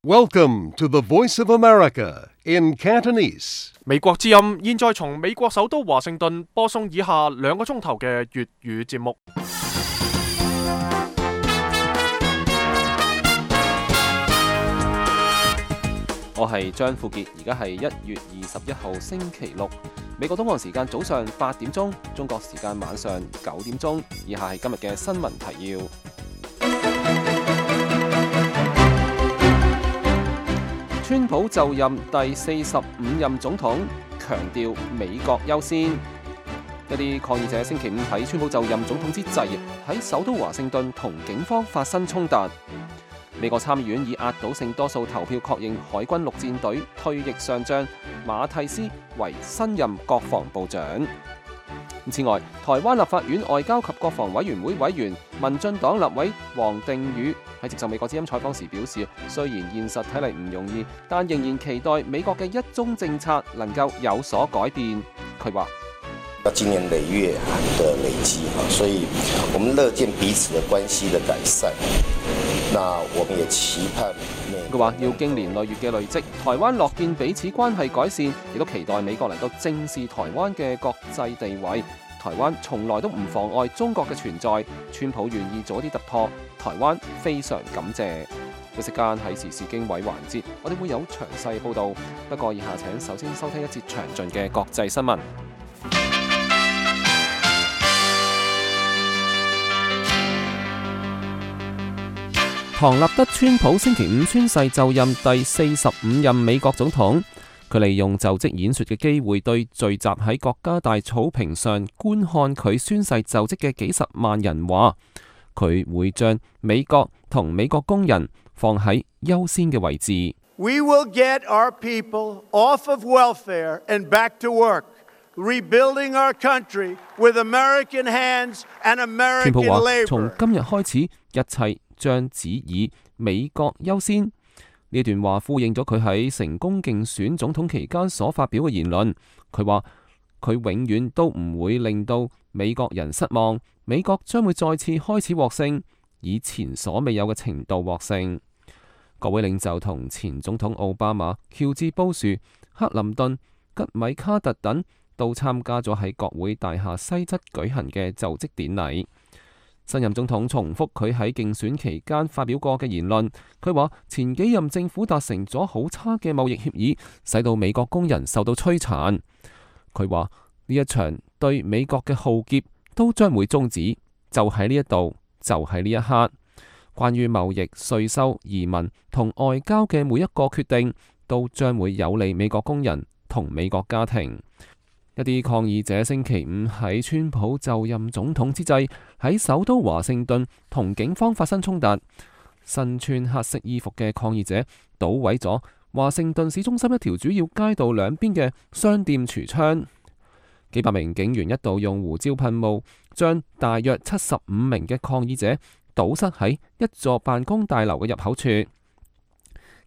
Welcome to the Voice of America in Cantonese. 美國之音現在從美國首都華盛頓播送以下2個鐘頭嘅粵語節目。我係張富傑，而家係1月21號星期六，美國東岸時間早上8點鐘，中國時間晚上9點鐘。以下係今日嘅新聞提要。川普就任第45任總統，強調美國優先。一啲抗議者星期五喺川普就任總統之際，喺首都華盛頓同警方發生衝突。美國參議院以壓倒性多數投票確認海軍陸戰隊退役上將馬蒂斯為新任國防部長。此外，台灣立法院外交及國防委員會委員、民進黨立委王定宇喺接受美國之音採訪時表示，雖然現實睇嚟唔容易，但仍然期待美國嘅一中政策能夠有所改變。佢話：經年累月的累積，所以我們樂見彼此的關係的改善。那我們也期盼。佢話要經年累月嘅累積，台灣樂見彼此關係改善，亦都期待美國能夠正視台灣嘅國際地位。台灣從來都唔妨礙中國嘅存在，川普願意做一啲突破，台灣非常感謝。休息間喺時事經緯環節，我哋會有詳細報導。不過以下請首先收聽一節詳盡嘅國際新聞。唐納德·川普星期五宣誓就任第45任美國總統。佢利用就職演說嘅機會，對聚集喺國家大草坪上觀看佢宣誓就職嘅幾十萬人話，佢會將美國同美國工人放喺優先嘅位置。We will get our people off of welfare and back to work, rebuilding our country with American hands and American labor。川普話：從今日開始，一切將只以美國優先。呢段話呼應咗佢喺成功競選總統期間所發表嘅言論。佢話：佢永遠都唔會令到美國人失望，美國將會再次開始獲勝，以前所未有嘅程度獲勝。各位領袖同前總統奧巴馬、喬治布殊、克林頓、吉米卡特等都參加咗喺國會大廈西側舉行嘅就職典禮。新任總統重複佢喺競選期間發表過嘅言論，佢話前幾任政府達成咗好差嘅貿易協議，使到美國工人受到摧殘。佢話呢一場對美國嘅浩劫都將會終止，就喺呢一度，就喺呢一刻。關於貿易、稅收、移民同外交嘅每一個決定，都將會有利美國工人同美國家庭。一啲抗議者星期五喺川普就任總統之際，喺首都華盛頓同警方發生衝突。身穿黑色衣服嘅抗議者搗毀咗華盛頓市中心一條主要街道兩邊嘅商店櫥窗。幾百名警員一度用胡椒噴霧將大約75名嘅抗議者堵塞喺一座辦公大樓嘅入口處。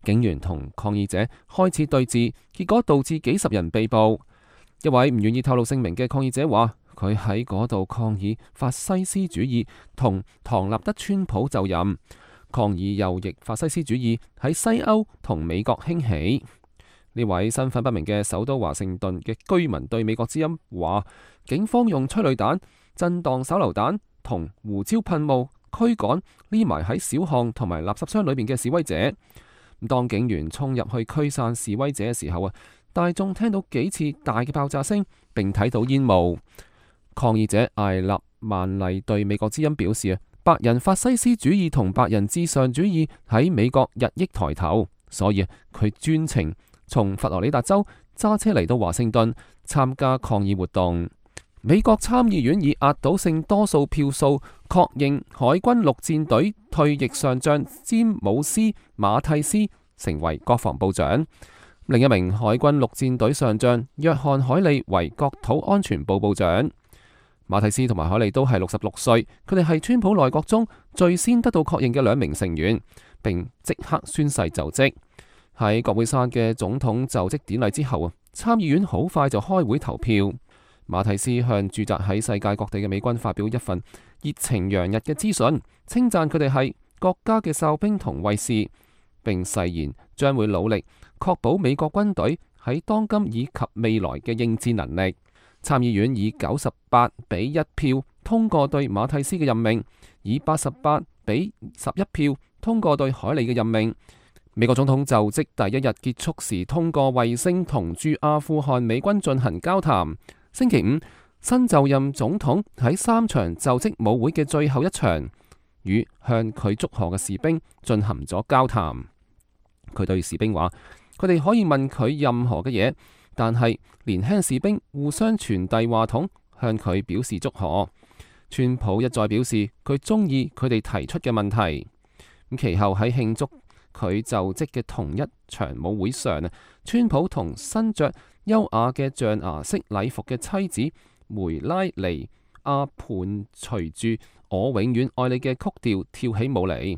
警員同抗議者開始對峙，結果導致幾十人被捕。一位唔願意透露姓名嘅抗議者話，佢喺嗰度抗議法西斯主義同唐納德·川普就任，抗議右翼法西斯主義喺西歐同美國興起。呢位身份不明嘅首都華盛頓嘅居民對美國之音話，警方用催淚彈、震盪手榴彈同胡椒噴霧驅趕匿埋喺小巷同埋垃圾箱裏面嘅示威者。當警員衝入去驅散示威者嘅時候大眾聽到幾次大嘅爆炸聲，並睇到煙霧。抗議者艾納曼麗對美國之音表示，白人法西斯主義同白人至上主義喺美國日益抬頭，所以佢專程從佛羅里達州揸車嚟到華盛頓參加抗議活動。美國參議院以壓倒性多數票數確認海軍陸戰隊退役上將詹姆斯馬蒂斯成為國防部長。另一名海軍陸戰隊上將約翰海利為國土安全部部長。馬蒂斯同埋海利都係66歲，佢哋係川普內閣中最先得到確認嘅2名成員，並即刻宣誓就職。喺國會山嘅總統就職典禮之後參議院好快就開會投票。馬蒂斯向駐紮喺世界各地嘅美軍發表一份熱情洋溢嘅資訊，稱讚佢哋係國家嘅哨兵同衛士。並誓言將會努力確保美國軍隊喺當今以及未來嘅應戰能力。參議院以98-1票通過對馬蒂斯嘅任命，以88-11票通過對海利嘅任命。美國總統就職第一日結束時，通過衛星同駐阿富汗美軍進行交談。星期五，新就任總統喺3場就職舞會嘅最後一場，與向佢祝賀嘅士兵進行咗交談。佢對士兵話：佢哋可以問佢任何嘅嘢，但係年輕士兵互相傳遞話筒，向佢表示祝賀。川普一再表示佢中意佢哋提出嘅問題。咁其後喺慶祝佢就職嘅同一場舞會上，川普同身着優雅嘅象牙式禮服嘅妻子梅拉尼亞伴隨住我永遠愛你嘅曲調跳起舞嚟。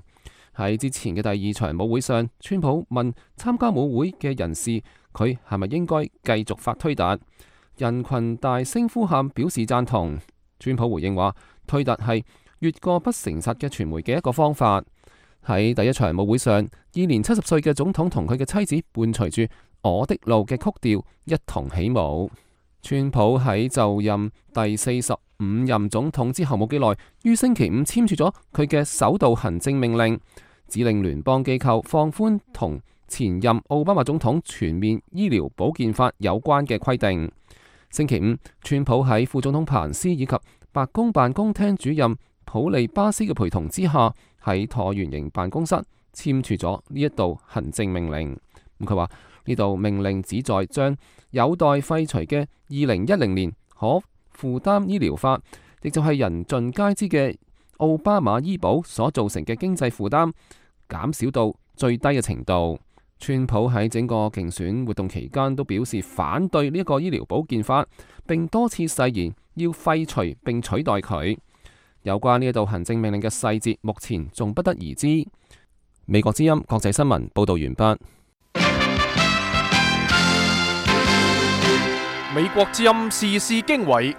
喺之前嘅第2場舞會上，川普問參加舞會嘅人士佢係咪應該繼續發推特，人群大聲呼喊表示贊同。川普回應話：推特係越過不誠實嘅傳媒嘅一個方法。喺第1場舞會上，現年70歲嘅總統同佢嘅妻子伴隨住我的路嘅曲調一同起舞。川普喺就任第45任總統之後冇幾耐，於星期五簽署咗佢嘅首道行政命令，指令聯邦機構放寬同前任奧巴馬總統全面醫療保健法有關嘅規定。星期五，川普喺副總統彭斯以及白宮辦公廳主任普利巴斯嘅陪同之下，喺橢圓形辦公室簽署咗呢一道行政命令。佢話呢道命令旨在將有待廢除嘅2010年可負擔醫療法，亦就係人盡皆知嘅奧巴馬醫保所造成嘅經濟負擔，減少到最低嘅程度。川普喺整個競選活動期間都表示反對呢一個醫療保健法，並多次誓言要廢除並取代佢。有關呢一道行政命令嘅細節，目前仲不得而知。美國之音國際新聞報道完畢。美國之音時事經緯，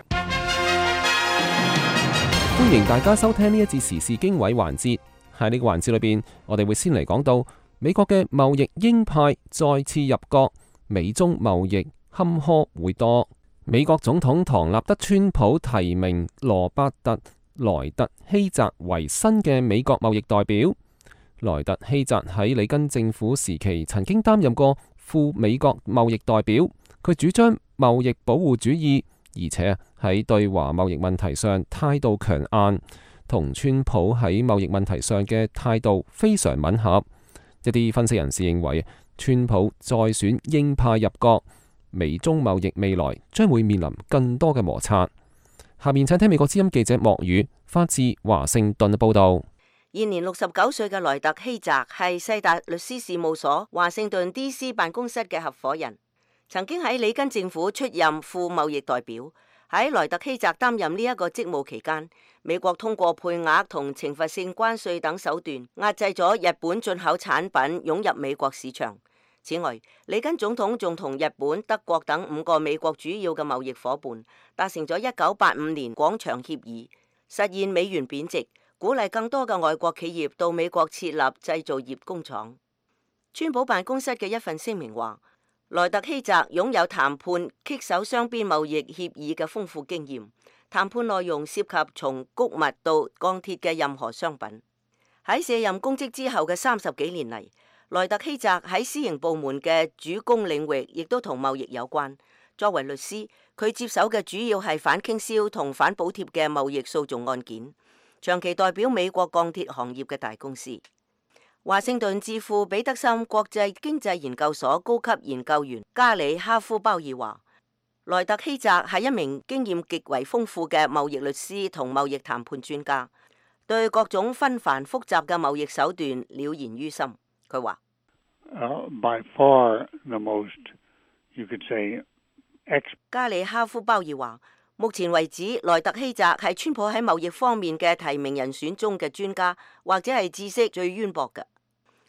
歡迎大家收聽呢一節時事經緯環節。喺呢個環節裏邊，我哋會先嚟講到美國嘅貿易鷹派再次入閣，美中貿易坎坷會多。美國總統唐納德·川普提名羅伯特·萊特希澤為新嘅美國貿易代表。萊特希澤喺里根政府時期曾經擔任過副美國貿易代表，佢主張貿易保護主義，而且喺對華貿易問題上態度強硬，同川普喺貿易問題上嘅態度非常吻合。一啲分析人士認為，川普再選鷹派入閣，美中貿易未來將會面臨更多嘅摩擦。下面請聽美國之音記者莫宇發自華盛頓嘅報道。現年69歲嘅萊特希澤係世達律師事務所華盛頓 DC 辦公室嘅合夥人，曾經喺里根政府出任副貿易代表。喺萊特希澤擔任呢一個職務期間，美國通過配額同懲罰性關稅等手段壓制咗日本進口產品湧入美國市場。此外，里根總統仲同日本、德國等5個美國主要嘅貿易夥伴達成咗1985年廣場協議，實現美元貶值，鼓勵更多嘅外國企業到美國設立製造業工廠。川普辦公室嘅一份聲明話，萊特希澤擁有談判棘手雙邊貿易協議嘅豐富經驗，談判內容涉及從穀物到鋼鐵嘅任何商品。喺卸任公職之後嘅30幾年嚟，萊特希澤喺私營部門嘅主攻領域亦都同貿易有關。作為律師，佢接手嘅主要係反傾銷同反補貼嘅貿易訴訟案件，長期代表美國鋼鐵行業嘅大公司。華盛頓智庫彼得森國際經濟研究所高級研究員加里哈夫鮑爾話，萊特希澤係一名經驗極為豐富嘅貿易律師同貿易談判專家，對各種紛繁複雜嘅貿易手段了然於心。佢話：By far the most, you could say, 加里哈夫鮑爾話，目前為止，萊特希澤係川普喺貿易方面嘅提名人選中嘅專家，或者係知識最淵博嘅。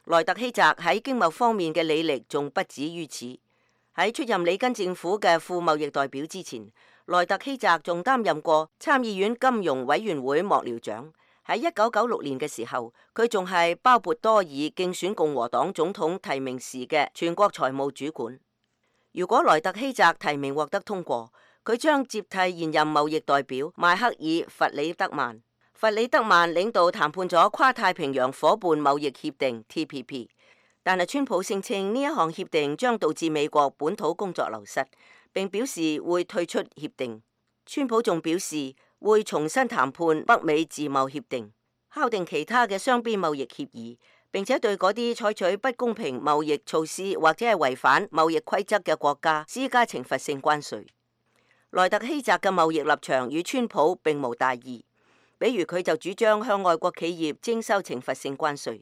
萊特希澤喺經貿方面嘅履歷仲不止於此。喺出任里根政府嘅副貿易代表之前，萊特希澤仲擔任過參議院金融委員會幕僚長，喺1996年嘅時候，佢仲係鮑勃多爾競選共和黨總統提名時嘅全國財務主管。如果萊特希澤提名獲得通過，佢將接替現任貿易代表邁克爾·弗里德曼。弗里德曼領導談判咗跨太平洋夥伴貿易協定 TPP， 但係川普聲稱呢一項協定將導致美國本土工作流失，並表示會退出協定。川普仲表示會重新談判北美自貿協定，敲定其他嘅雙邊貿易協議，並且對嗰啲採取不公平貿易措施或者係違反貿易規則嘅國家施加懲罰性關稅。萊特希澤嘅貿易立場與川普並無大異，比如佢就主張向外國企業徵收懲罰性關稅。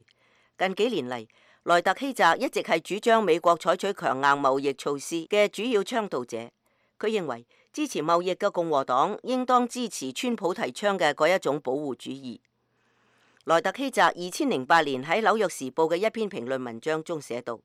近幾年嚟，萊特希澤一直係主張美國採取強硬貿易措施嘅主要倡導者。佢認為支持貿易嘅共和黨應當支持川普提倡嘅嗰一種保護主義。萊特希澤2008年喺《紐約時報》嘅一篇評論文章中寫道：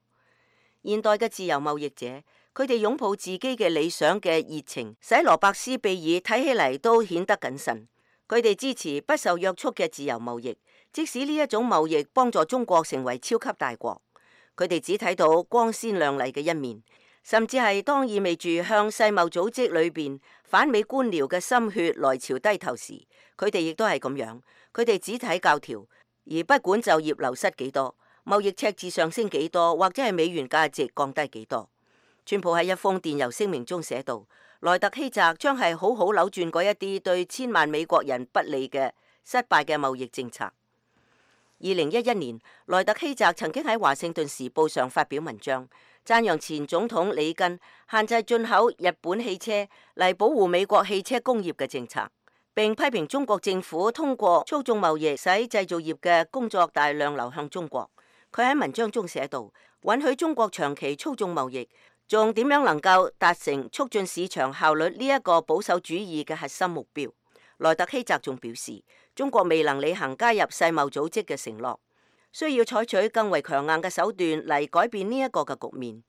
現代嘅自由貿易者，佢哋擁抱自己嘅理想嘅熱情，使羅伯斯庇爾睇起嚟都顯得謹慎。佢哋支持不受約束嘅自由貿易，即使呢一種貿易幫助中國成為超級大國。佢哋只睇到光鮮亮麗嘅一面，甚至係當意味住向世貿組織裏邊反美官僚嘅心血來潮低頭時，佢哋亦都係咁樣。佢哋只睇教條，而不管就業流失幾多，貿易赤字上升幾多，或者係美元價值降低幾多。川普喺一封電郵聲明中寫道：萊特希澤將係好好扭轉嗰一啲對千萬美國人不利嘅失敗嘅貿易政策。2011年，萊特希澤曾經喺華盛頓時報上發表文章，讚揚前總統里根限制進口日本汽車嚟保護美國汽車工業嘅政策，並批評中國政府通過操縱貿易使製造業嘅工作大量流向中國。佢喺文章中寫道：允許中國長期操縱貿易，仲點樣能夠達成促進市場效率呢一個保守主義嘅核心目標？萊特希澤仲表示，中國未能履行加入世貿組織嘅承諾，需要採取更為強硬嘅手段嚟改變呢一個嘅局面，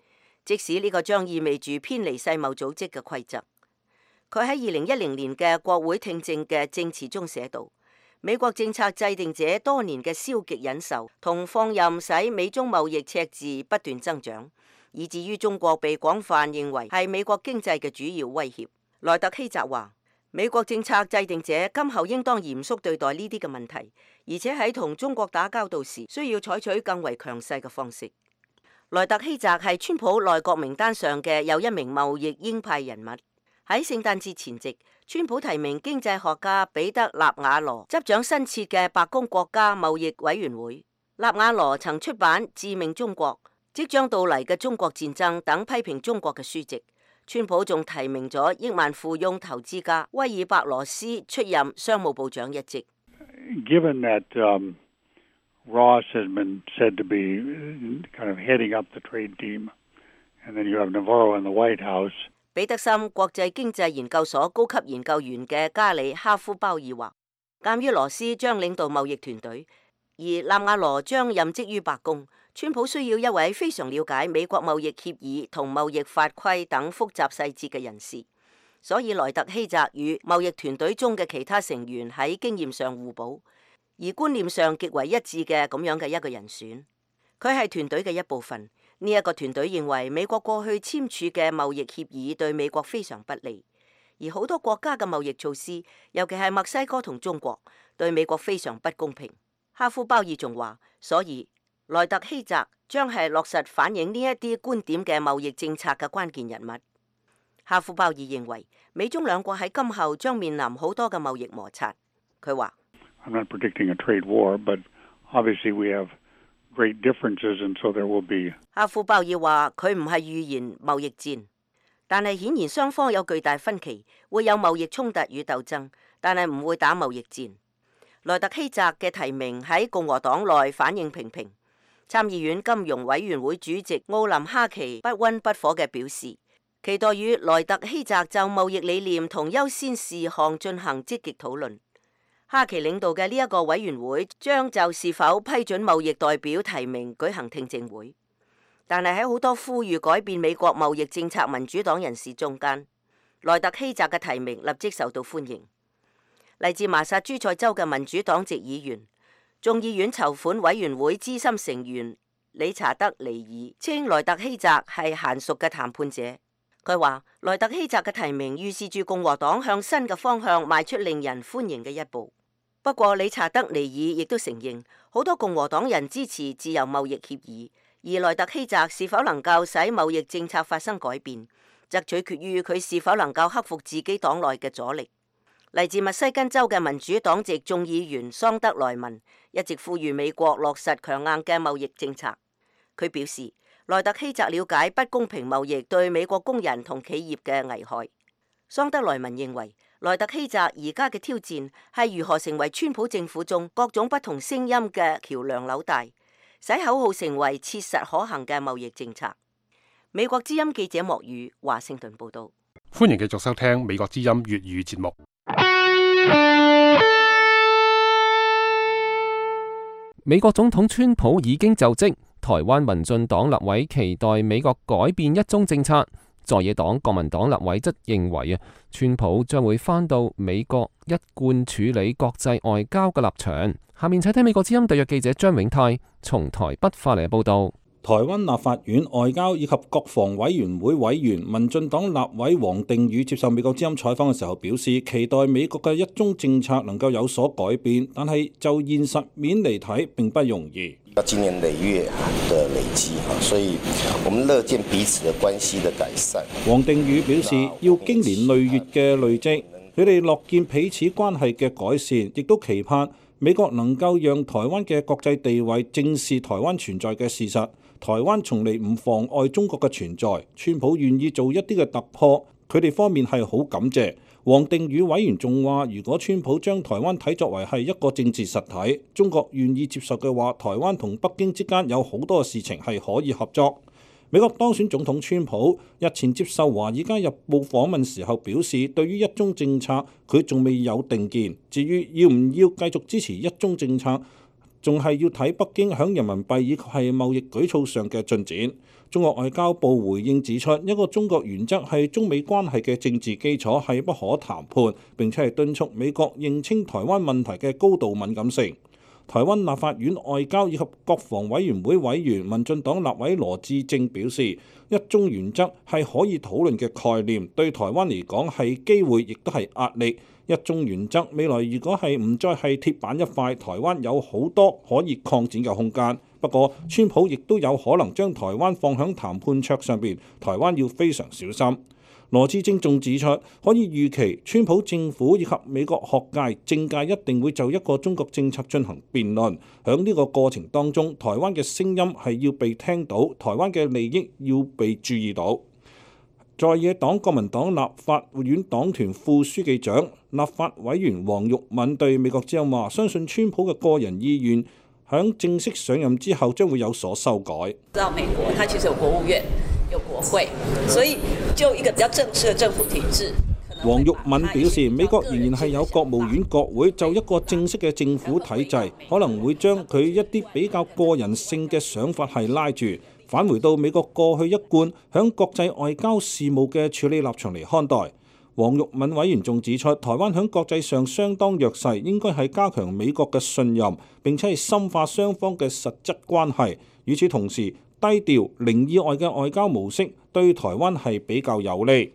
即使呢個將意味住偏離世貿組織嘅規則。佢喺2010年嘅國會聽證嘅證詞中寫道：美國政策制定者多年嘅消極忍受同放任使美中貿易赤字不斷增長，以至於中國被廣泛認為係美國經濟嘅主要威脅。萊特希澤話：美國政策制定者今後應當嚴肅對待呢啲嘅問題，而且喺同中國打交道時需要採取更為強勢嘅方式。萊特希澤係川普內閣名單上嘅又一名貿易鷹派人物。喺聖誕節前夕，川普提名經濟學家彼得納瓦羅執掌新設嘅白宮國家貿易委員會。納瓦羅曾出版《致命中國》、即將到嚟嘅中國戰爭等批評中國嘅書籍。川普仲提名咗億萬富翁投資家威爾伯羅斯出任商務部長一職。Given that Ross has been said to be kind of heading up the trade team, and then you have Navarro in the White House. 彼得森國際經濟研究所高級研究員嘅加里哈夫鮑爾話，鑑於羅斯將領導貿易團隊，而納瓦羅將任職於白宮，川普需要一位非常了解美國貿易協議同貿易法規等複雜細節嘅人士，所以萊特希澤與貿易團隊中嘅其他成員喺經驗上互補，而觀念上極為一致嘅咁樣嘅一個人選。佢係團隊嘅一部分。呢一個團隊認為美國過去簽署嘅貿易協議對美國非常不利，而好多國家嘅貿易措施，尤其係墨西哥同中國，對美國非常不公平。哈夫鮑爾仲話，所以萊特希澤將係落實反映呢一啲觀點嘅貿易政策嘅關鍵人物。哈夫鮑爾認為美中兩國喺今後將面臨好多嘅貿易摩擦。佢話I'm not predicting a trade war, but obviously we have great differences, and so there will be. 哈夫鮑爾話佢唔係預言貿易戰，但係顯然雙方有巨大分歧，會有貿易衝突與鬥爭，但係唔會打貿易戰。萊特希澤嘅提名喺共和黨內反應平平，參議院金融委員會主席奧林哈奇不溫不火嘅表示，期待與萊特希澤就貿易理念同優先事項進行積極討論。哈奇領導嘅呢一個委員會將就是否批准貿易代表提名舉行聽證會，但係喺好多呼籲改變美國貿易政策民主黨人士中間，萊特希澤嘅提名立即受到歡迎。嚟自麻薩諸塞州嘅民主黨籍議員、眾議院籌款委員會資深成員理查德尼爾稱萊特希澤係嫻熟嘅談判者。佢話萊特希澤嘅提名預示住共和黨向新嘅方向邁出令人歡迎嘅一步。不過理查德尼爾亦都承認，好多共和黨人支持自由貿易協議，而萊特希澤是否能夠使貿易政策發生改變，則取決於佢是否能夠克服自己黨內嘅阻力。嚟自密西根州嘅民主黨籍眾議員桑德萊文一直呼籲美國落實強硬嘅貿易政策。佢表示，萊特希澤了解不公平貿易對美國工人同企業嘅危害。桑德萊文認為，萊特希澤而家嘅挑戰係如何成為川普政府中各種不同聲音嘅橋梁紐帶，使口號成為切實可行嘅貿易政策。美國之音記者莫宇華盛頓報道。歡迎繼續收聽美國之音粵語節目。美國總統川普已經就職，台灣民進黨立委期待美國改變一中政策。在野黨國民黨立委則認為川普將會返到美國一貫處理國際外交嘅立場。下面請聽美國之音特約記者張永泰從台北發嚟嘅報道。台灣立法院外交以及國防委員會委員民進黨立委王定宇接受美國之音採訪嘅時候表示，期待美國嘅一中政策能夠有所改變，但係就現實面嚟睇並不容易。要經年累月的累積，所以我們樂見彼此的關係的改善。王定宇表示，要經年累月嘅累積，佢哋樂見彼此關係嘅改善，亦都期盼美國能夠讓台灣嘅國際地位正視台灣存在嘅事實。台灣從嚟唔妨礙中國嘅存在，川普願意做一啲嘅突破，佢哋方面係好感謝。王定宇委員仲話，如果川普將台灣睇作為係一個政治實體，中國願意接受嘅話，台灣同北京之間有好多事情係可以合作。美國當選總統川普日前接受《華爾街日報》訪問時候表示，對於一中政策佢仲未有定見，至於要唔要繼續支持一中政策，仲係要睇北京響人民幣以及係貿易舉措上嘅進展。中國外交部回應指出，一個中國原則係中美關係嘅政治基礎，係不可談判，並且係敦促美國認清台灣問題嘅高度敏感性。台灣立法院外交以及國防委員會委員民進黨立委羅致政表示，一中原則係可以討論嘅概念，對台灣嚟講係機會，亦都係壓力。一中原則未來如果係唔再係鐵板一塊，台灣有好多可以擴展嘅空間。不過，川普亦都有可能將台灣放響談判桌上邊，台灣要非常小心。羅致政仲指出，可以預期川普政府以及美國學界、政界一定會就一個中國政策進行辯論。響呢個過程當中，台灣嘅聲音係要被聽到，台灣嘅利益要被注意到。在野黨國民黨立法院黨團副書記長、立法委員黃玉敏對美國之音話，相信川普嘅個人意願響正式上任之後將會有所修改。到美國，它其實有國務院、有國會，所以就一個比較正式嘅政府體制。黃玉敏表示，美國仍然係有國務院、國會，就一個正式嘅政府體制，可能會將佢一啲比較個人性嘅想法係拉住，返回到美國過去一貫響國際外交事務嘅處理立場嚟看待。黃玉敏委員仲指出，台灣響國際上相當弱勢，應該係加強美國嘅信任，並且係深化雙方嘅實質關係。與此同時，低調零意外嘅外交模式對台灣係比較有利。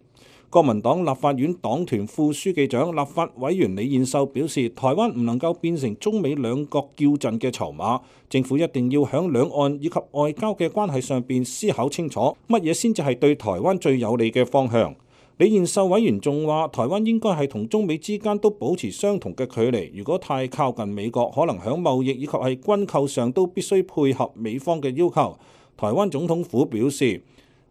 國民黨立法院黨團副書記長、立法委員李彥秀表示，台灣唔能夠變成中美兩國叫陣嘅籌碼，政府一定要響兩岸以及外交嘅關係上邊思考清楚，乜嘢先至係對台灣最有利嘅方向。李彥秀委員仲話，台灣應該係同中美之間都保持相同嘅距離，如果太靠近美國，可能響貿易以及係軍購上都必須配合美方嘅要求。台灣總統府表示，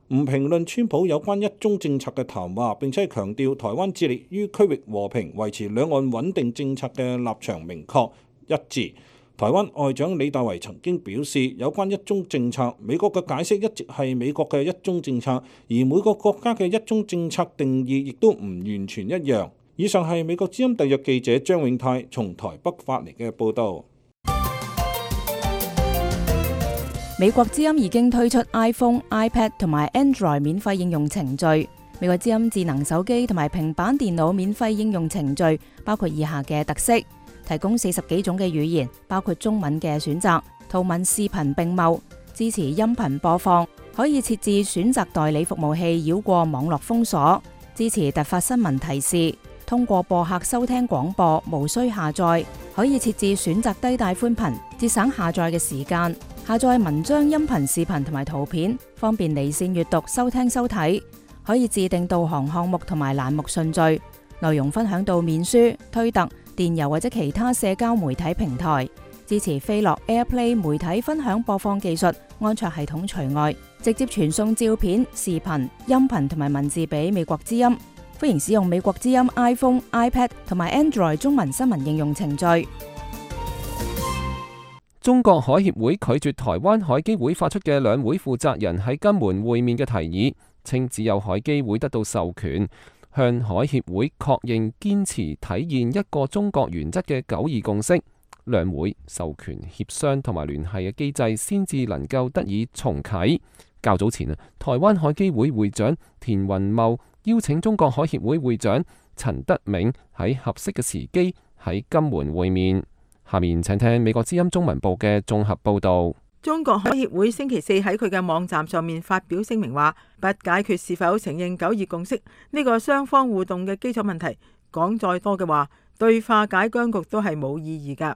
唔評論川普有關一中政策嘅談話，並且強調台灣致力於區域和平、維持兩岸穩定政策嘅立場明確一致。台灣外長李大維曾經表示，有關一中政策，美國嘅解釋一直係美國嘅一中政策，而每個國家嘅一中政策定義亦都唔完全一樣。以上係美國之音特約記者張永泰從台北發嚟嘅報導。美國之音已經推出 iPhone、iPad 同埋 Android 免費應用程序，美國之音智能手機同埋平板電腦免費應用程序包括以下嘅特色：提供40幾種嘅語言，包括中文嘅選擇，圖文視頻並茂，支持音頻播放，可以設置選擇代理服務器繞過網絡封鎖，支持突發新聞提示，通過播客收聽廣播，無需下載，可以設置選擇低帶寬頻，節省下載嘅時間，下載文章、音頻、視頻同埋圖片，方便離線閱讀、收聽收睇，可以自定導航項目同埋欄目順序，內容分享到面書、推特、電郵或者其他社交媒體平台，支持飛樂 AirPlay 媒體分享播放技術，安卓系統除外，直接傳送照片、視頻、音頻同埋文字俾美國之音。歡迎使用美國之音 iPhone、iPad 同埋 Android 中文新聞應用程序。中國海協會拒絕台灣海基會發出嘅兩會負責人喺金門會面嘅提議，稱只有海基會得到授權，向海協會確認堅持體現一個中國原則嘅9·2共識，兩會授權協商同埋聯繫嘅機制先至能夠得以重啟。較早前台灣海基會會長田雲茂邀請中國海協會會長陳德銘喺合適嘅時機喺金門會面。下面請聽美國之音中文部嘅綜合報導。中國海協會星期四喺佢嘅網站上面發表聲明話，不解決是否承認9·2共識呢個雙方互動嘅基礎問題，講再多嘅話，對化解僵局都係冇意義㗎。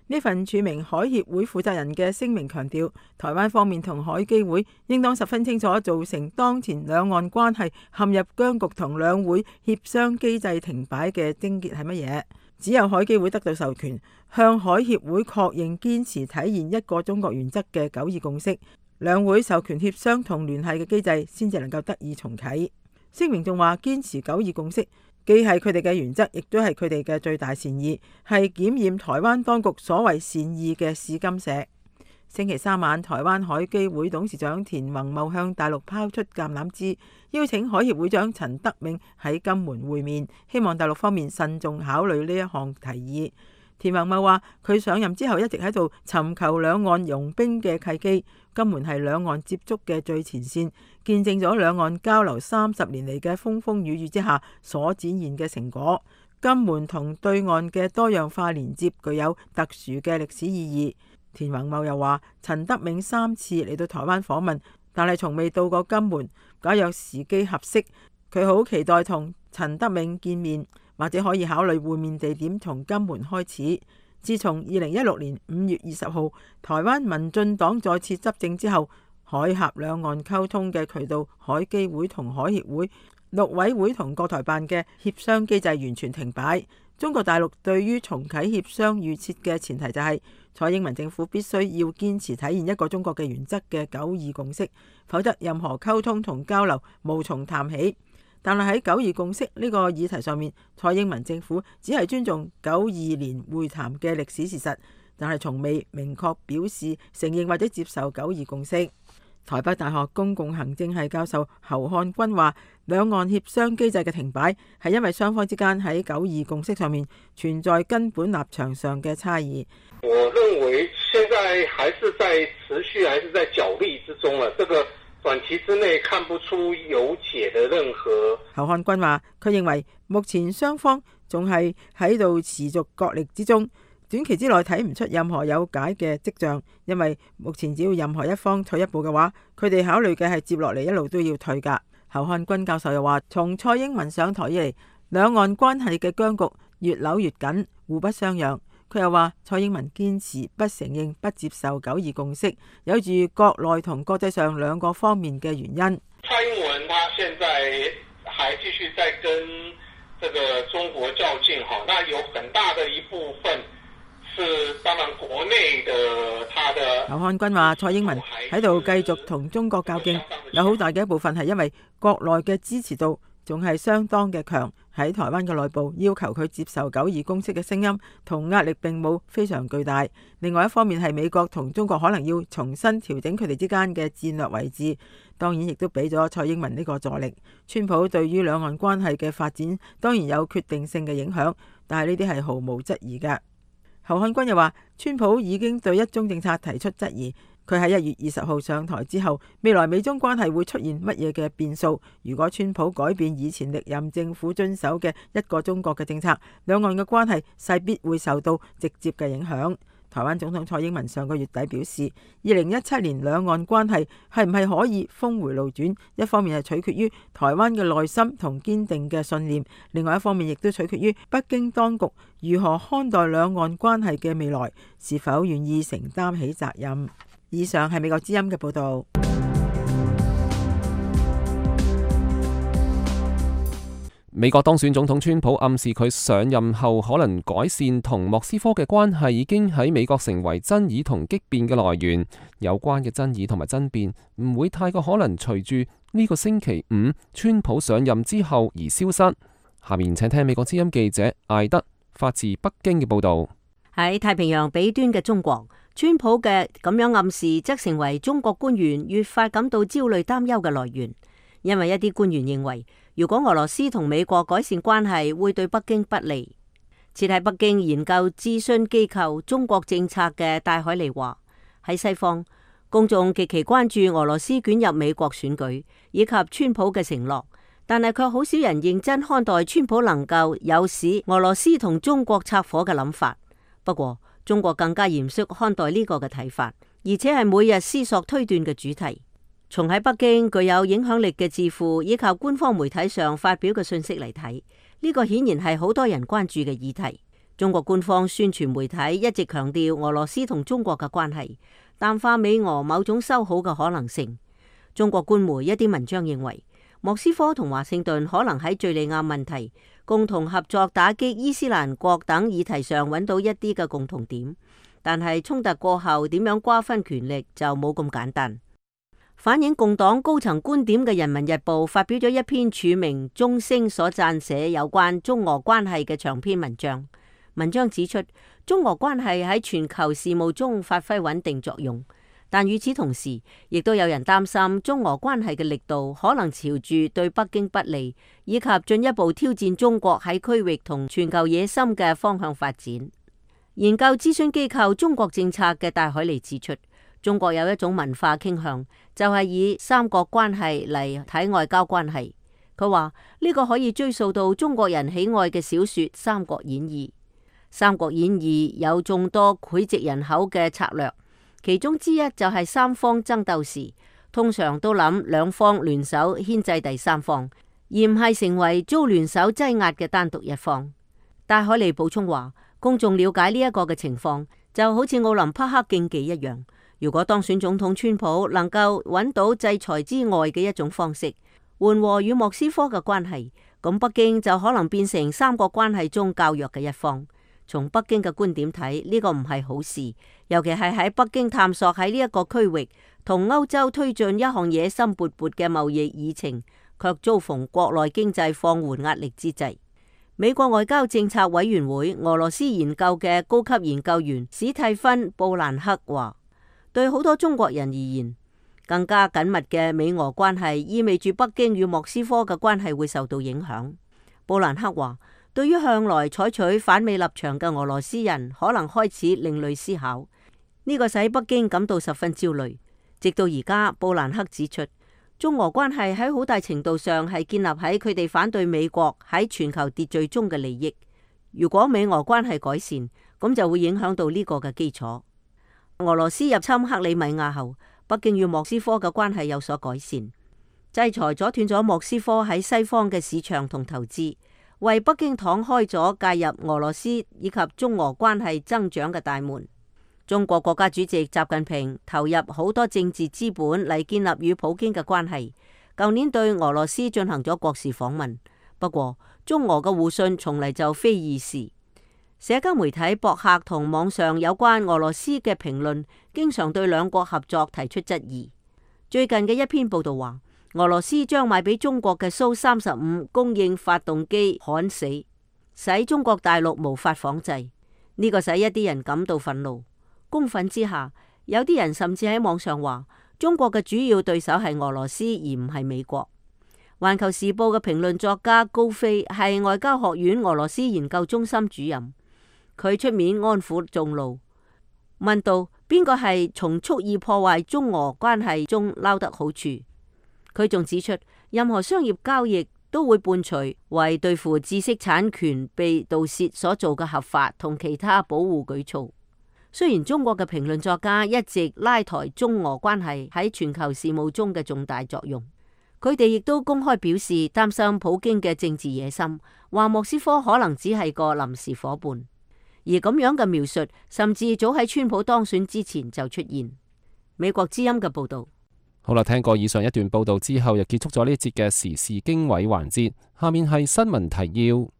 呢份署名海協會負責人嘅聲明強調，台灣方面同海基會應當十分清楚造成當前兩岸關係陷入僵局同兩會協商機制停擺嘅症結係乜嘢？只有海基會得到授權，向海協會確認堅持體現一個中國原則嘅9·2共識，兩會授權協商同聯繫嘅機制先至能夠得以重啟。聲明仲話，堅持9·2共識既係佢哋嘅原則，亦都係佢哋嘅最大善意，係檢驗台灣當局所謂善意嘅試金石。星期三晚，台灣海基會董事長田宏茂向大陸拋出橄欖枝，邀請海協會長陳德銘喺金門會面，希望大陸方面慎重考慮呢一項提議。田宏茂話：佢上任之後一直喺度尋求兩岸融冰嘅契機，金門係兩岸接觸嘅最前線，見證咗兩岸交流30年嚟嘅風風雨雨之下所展現嘅成果。金門同對岸嘅多樣化連接具有特殊嘅歷史意義。田宏茂又話：陳德銘3次嚟到台灣訪問，但係從未到過金門。假若時機合適，佢好期待同陳德銘見面，或者可以考慮會面地點從金門開始。自從2016年5月20號台灣民進黨再次執政之後，海峽兩岸溝通嘅渠道，海基會同海協會、陸委會同國台辦嘅協商機制完全停擺。中國大陸對於重啟協商預設嘅前提就係蔡英文政府必須要堅持體現一個中國嘅原則嘅9·2共識，否則任何溝通同交流無從談起。但係喺9·2共識呢個議題上面，蔡英文政府只係尊重92年會談嘅歷史事實，但係從未明確表示承認或者接受9·2共識。台北大學公共行政系教授侯漢君話，兩岸協商機制嘅停擺係因為雙方之間喺9·2共識上面存在根本立場上嘅差異。我認為現在還是在持續，還是在角力之中啊！這個短期之內看不出有解的任何。侯漢君話，佢認為目前雙方仲係喺度持續角力之中。短期之內睇唔出任何有解嘅跡象，因為目前只要任何一方退一步嘅話，佢哋考慮嘅係接落嚟一路都要退㗎。侯漢君教授又話，從蔡英文上台以嚟，兩岸關係嘅僵局越扭越緊，互不相讓。佢又話，蔡英文堅持不承認、不接受9·2共識，有住國內同國際上兩個方面嘅原因。蔡英文他現在還繼續在跟這個中國較勁，那有很大的一部分。當然國內的他的侯漢君話，蔡英文喺度繼續同中國較勁，有好大嘅一部分係因為國內嘅支持度仲係相當嘅強，喺台灣嘅內部要求佢接受9·2共識嘅聲音同壓力並冇非常巨大。另外一方面係美國同中國可能要重新調整佢哋之間嘅戰略位置，當然亦都俾咗蔡英文呢個助力。川普對於兩岸關係嘅發展當然有決定性嘅影響，但係呢啲係毫無質疑嘅。侯漢君又話，川普已經對一中政策提出質疑，佢喺1月20號上台之後，未來美中關係會出現乜嘢嘅變數？如果川普改變以前歷任政府遵守嘅一個中國嘅政策，兩岸嘅關係勢必會受到直接嘅影響。台灣總統蔡英文上個月底表示，2017年兩岸關係係唔係可以峰回路轉，一方面係取決於台灣嘅耐心同堅定嘅信念，另外一方面亦都取決於北京當局如何看待兩岸關係嘅未來，是否願意承擔起責任。以上係美國之音嘅報道。美國當選總統川普暗示佢上任後可能改善同莫斯科嘅關係，已經喺美國成為爭議同激辯嘅來源。有關嘅爭議同埋爭辯唔會太過可能隨住呢個星期五川普上任之後而消失。下面請聽美國之音記者艾德發自北京嘅報道。喺太平洋彼端嘅中國，川普嘅咁樣暗示則成為中國官員越發感到焦慮擔憂嘅來源，因為一啲官員認為，如果俄羅斯同美國改善關係，會對北京不利。設喺北京研究諮詢機構中國政策嘅戴海尼話，喺西方，公眾極其關注俄羅斯捲入美國選舉以及川普嘅承諾，但係卻好少人認真看待川普能夠誘使俄羅斯同中國拆夥嘅諗法。不過，中國更加嚴肅看待呢個嘅睇法，而且係每日思索推斷嘅主題。從喺北京具有影響力嘅智庫以及官方媒體上發表嘅信息嚟睇，呢個顯然係好多人關注嘅議題。中國官方宣傳媒體一直強調俄羅斯同中國嘅關係，淡化美俄某種修好嘅可能性。中國官媒一啲文章認為，莫斯科同華盛頓可能喺敘利亞問題、共同合作打擊伊斯蘭國等議題上揾到一啲嘅共同點，但係衝突過後點樣瓜分權力就冇咁簡單。反映共黨高層觀點嘅《人民日報》發表咗一篇署名鐘聲所撰寫有關中俄關係嘅長篇文章。文章指出，中俄關係喺全球事務中發揮穩定作用，但與此同時，亦都有人擔心中俄關係嘅力度可能朝住對北京不利，以及進一步挑戰中國喺區域同全球野心嘅方向發展。研究諮詢機構中國政策嘅戴海尼指出，中國有一種文化傾向，就係以三角關係嚟睇外交關係。佢話呢個可以追溯到中國人喜愛嘅小說《三國演義》。《三國演義》有眾多膾炙人口嘅策略，其中之一就係三方爭鬥時，通常都諗兩方聯手牽制第三方，而唔係成為遭聯手擠壓嘅單獨一方。戴海尼補充話，公眾了解呢一個嘅情況，就好似奧林匹克競技一樣。如果當選總統川普能夠揾到制裁之外嘅一種方式，緩和與莫斯科嘅關係，咁北京就可能變成三國關係中較弱嘅一方。從北京嘅觀點睇，呢個唔係好事，尤其係喺北京探索喺呢一個區域同歐洲推進一項野心勃勃嘅貿易議程，卻遭逢國內經濟放緩壓力之際。美國外交政策委員會俄羅斯研究嘅高級研究員史蒂芬布蘭克話，對好多中國人而言，更加緊密嘅美俄關係意味住北京與莫斯科嘅關係會受到影響。布蘭克話，對於向來採取反美立場嘅俄羅斯人，可能開始另類思考，呢個使北京感到十分焦慮。直到而家，布蘭克指出，中俄關係喺好大程度上係建立喺佢哋反對美國喺全球秩序中嘅利益。如果美俄關係改善，咁就會影響到呢個嘅基礎。俄羅斯入侵克里米亞後，北京與莫斯科嘅關係有所改善，制裁阻斷咗莫斯科喺西方嘅市場同投資，為北京敞開咗介入俄羅斯以及中俄關係增長嘅大門。中國國家主席習近平投入好多政治資本嚟建立與普京嘅關係，舊年對俄羅斯進行咗國事訪問。不過，中俄嘅互信從嚟就非易事。社交媒體、博客同網上有關俄羅斯嘅評論，經常對兩國合作提出質疑。最近嘅一篇報道話，俄羅斯將賣俾中國嘅蘇35供應發動機焊死，使中國大陸無法仿製。呢個使一啲人感到憤怒。公憤之下，有啲人甚至喺網上話，中國嘅主要對手係俄羅斯，而唔係美國。環球時報嘅評論作家高飛係外交學院俄羅斯研究中心主任。佢出面安撫眾怒，問道：邊個係從蓄意破壞中俄關係中撈得好處。佢仲指出，任何商業交易都會伴隨為對付知識產權被盜竊所做嘅合法同其他保護舉措。雖然中國嘅評論作家一直拉抬中俄關係喺全球事務中嘅重大作用，佢哋亦都公開表示擔心普京嘅政治野心，話莫斯科可能只係個臨時夥伴。而咁樣嘅描述，甚至早喺川普當選之前就出現。美國之音嘅報道。好啦，聽過以上一段報道之後，又結束咗呢一節嘅時事經緯環節。下面係新聞提要。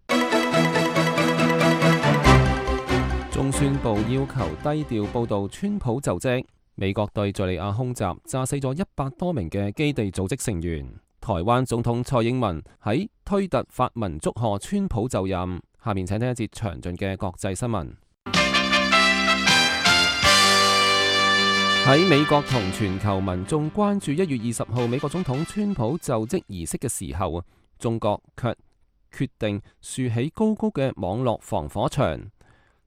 中宣部要求低調報道川普就職。美國對敘利亞空襲，炸死咗100多名嘅基地組織成員。台灣總統蔡英文喺推特發文祝賀川普就任。下面請聽一節詳盡嘅國際新聞。喺美國同全球民眾關注1月20號美國總統川普就職儀式嘅時候，中國卻決定豎起高高嘅網絡防火牆，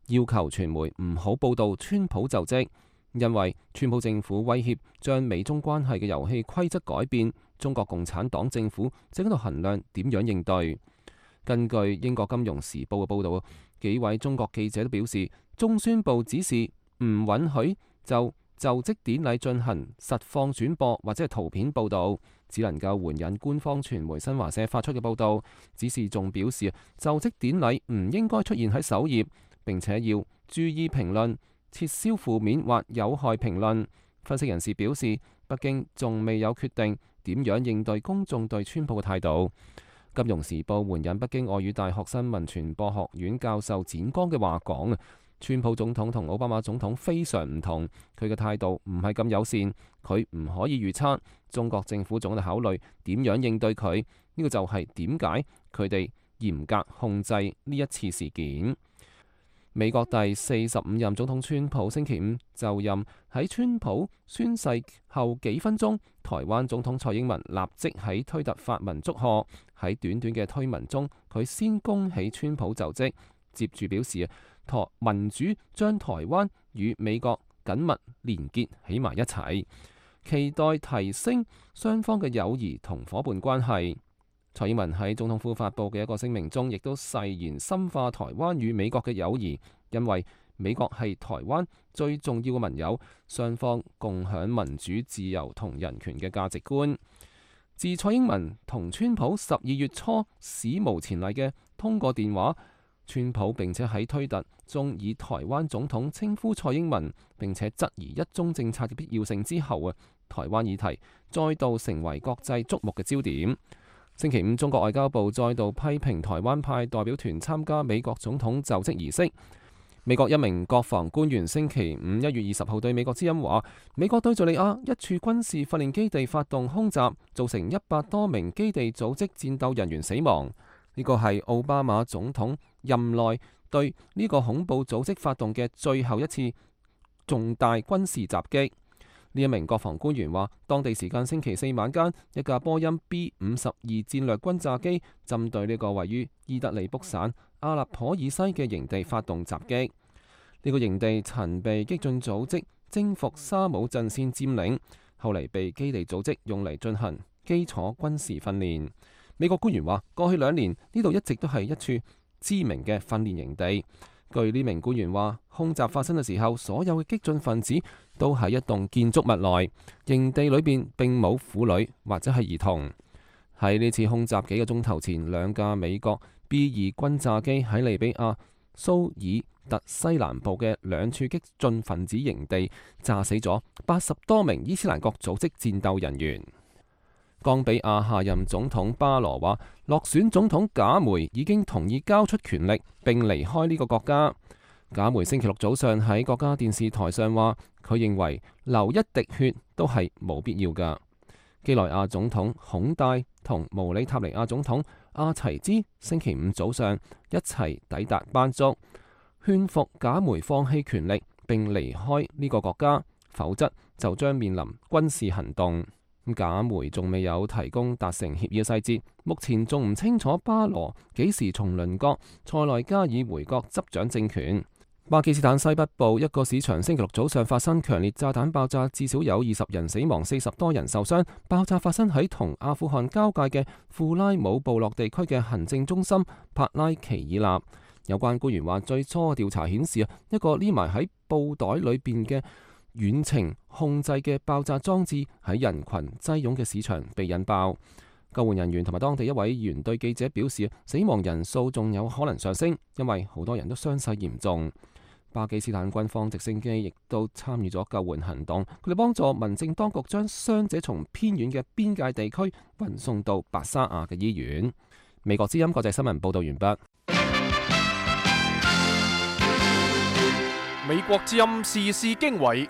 要求傳媒唔好報道川普就職，因為川普政府威脅將美中關係嘅遊戲規則改變，中國共產黨政府正喺度衡量點樣應對。根據英國金融時報嘅報導，幾位中國記者都表示，中宣部指示唔允許就職典禮進行實況轉播或者係圖片報導，只能夠援引官方傳媒新華社發出嘅報導。指示仲表示，就職典禮唔應該出現喺首頁，並且要注意評論，撤銷負面或有害評論。分析人士表示，北京仲未有決定點樣應對公眾對川普嘅態度。金融時報援引北京外語大學新聞傳播學院教授展剛嘅話講，川普總統同奧巴馬總統非常唔同，佢嘅態度唔係咁友善，佢唔可以預測，中國政府總喺度考慮點樣應對佢，呢個就係點解佢哋嚴格控制呢一次事件。美國第45任總統川普星期五就任，喺川普宣誓後幾分鐘，台灣總統蔡英文立即喺推特發文祝賀。喺短短嘅推文中，佢先恭喜川普就職，接住表示民主將台灣與美國緊密連結起埋一齊，期待提升雙方嘅友誼同夥伴關係。蔡英文喺總統府發布嘅一個聲明中，亦都誓言深化台灣與美國嘅友誼，因為美國係台灣最重要嘅盟友，雙方共享民主、自由同人權嘅價值觀。自蔡英文同川普12月初史無前例嘅通過電話，川普並且喺推特中以台灣總統稱呼蔡英文，並且質疑一中政策嘅必要性之後，台灣議題再度成為國際矚目嘅焦點。星期五，中國外交部再度批評台灣派代表團參加美國總統就職儀式。美國一名國防官員星期五1月20號對美國之音話，美國對敘利亞一處軍事訓練基地發動空襲，造成100多名基地組織戰鬥人員死亡。呢個係奧巴馬總統任內對呢個恐怖組織發動嘅最後一次重大軍事襲擊。呢一名國防官員話，當地時間星期四晚間，一架波音 B-52戰略轟炸機針對呢個位於伊德利卜省阿勒頗以西嘅營地發動襲擊。呢個營地曾被激進組織征服沙姆陣線佔領，後嚟被基地組織用嚟進行基礎軍事訓練。美國官員話，過去2年呢度一直都係一處知名嘅訓練營地。據呢名官員話，空襲發生嘅時候，所有嘅激進分子都喺一棟建築物內，營地裏邊並冇婦女或者係兒童。喺呢次空襲幾個鐘頭前，2架美國 B-2轟炸機喺利比亞蘇爾特西南部嘅2處激進分子營地炸死咗80多名伊斯蘭國組織戰鬥人員。岡比亞下任總統巴羅話，落選總統賈梅已經同意交出權力並離開呢個國家。賈梅星期六早上喺國家電視台上話，佢認為流一滴血都係冇必要㗎。幾內亞總統孔戴同毛里塔尼亞總統阿齊茲星期五早上一齊抵達班竹，勸服賈梅放棄權力並離開呢個國家，否則就將面臨軍事行動。賈梅仲未有提供達成協議嘅細節，目前仲唔清楚巴羅幾時從鄰國塞內加爾回國執掌政權。巴基斯坦西北部一個市場星期六早上發生強烈炸彈爆炸，至少有20人死亡，40多人受傷。爆炸發生喺同阿富汗交界嘅庫拉姆部落地區嘅行政中心帕拉奇爾納。有關官員話，最初嘅調查顯示一個匿埋喺布袋裏邊嘅遠程控制嘅爆炸裝置喺人群擠擁嘅市場被引爆。救援人員同埋當地一位議員對記者表示，死亡人數仲有可能上升，因為好多人都傷勢嚴重。巴基斯坦軍方直升機亦都參與咗救援行動，佢哋幫助民政當局將傷者從偏遠嘅邊界地區運送到白沙瓦嘅醫院。美國之音國際新聞報道完畢。美國之音時事經緯，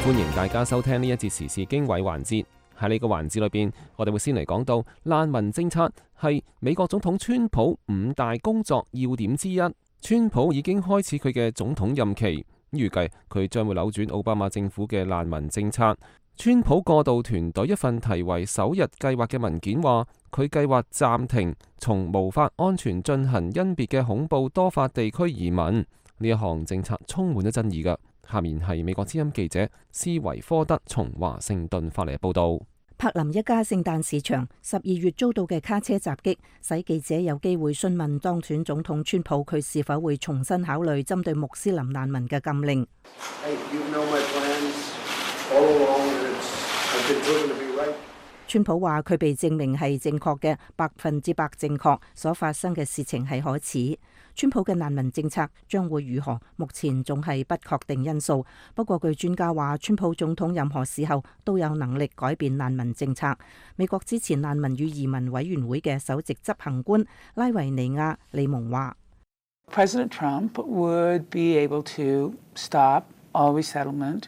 歡迎大家收聽呢一節時事經緯環節。喺呢個環節裏邊，我哋會先嚟講到難民政策係美國總統川普5大工作要點之一。川普已經開始佢嘅總統任期，預計佢將會扭轉奧巴馬政府嘅難民政策。川普過渡團隊一份題為首日計劃嘅文件話，佢計劃暫停從無法安全進行甄別嘅恐怖多發地區移民。呢一項政策充滿咗爭議㗎。下面係美國之音記者斯維科德從華盛頓發嚟嘅報道。柏林一家聖誕市場12月遭到嘅卡車襲擊，使記者有機會詢問當選總統川普佢是否會重新考慮針對穆斯林難民嘅禁令。川普話佢被證明係正確嘅，100%正確，所發生嘅事情係可恥。川普嘅難民政策將會如何？目前仲係不確定因素。不過據專家話，川普總統任何時候都有能力改變難民政策。美國支持難民與移民委員會嘅首席執行官拉維尼亞利蒙話 President Trump would be able to stop all resettlement,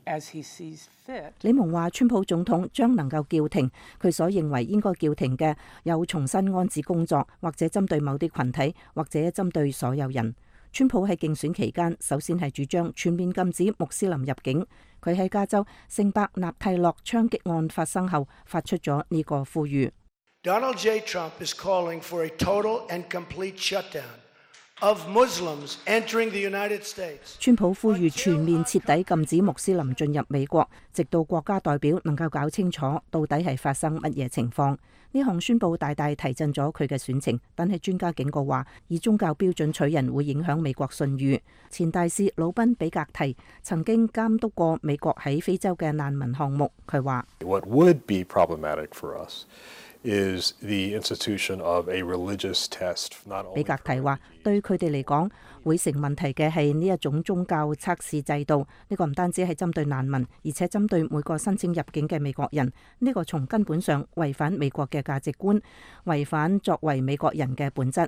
as he sees fit. 李蒙話，川普總統將能夠叫停佢所認為應該叫停嘅有重新安置工作，或者針對某啲群體，或者針對所有人。川普喺競選期間首先係主張全面禁止穆斯林入境。佢喺加州聖伯納蒂諾槍擊案發生後發出咗呢個呼籲。Donald J. Trump is calling for a total and complete shutdown of Muslims entering the United States. 川普呼籲全面徹底禁止穆斯林進入美國，直到國家代表能夠搞清楚到底係發生乜嘢情況。呢項宣佈大大提振咗佢嘅選情，但係專家警告話，以宗教標準取人會影響美國信譽。前大使魯賓比格提曾經監督過美國喺非洲嘅難民項目，佢話：What would be problematic for us is the institution of a religious test. 比格提話，對佢哋嚟講，會成問題嘅係呢一種宗教測試制度。呢個唔單止係針對難民，而且針對每個申請入境嘅美國人。呢個從根本上違反美國嘅價值觀，違反作為美國人嘅本質。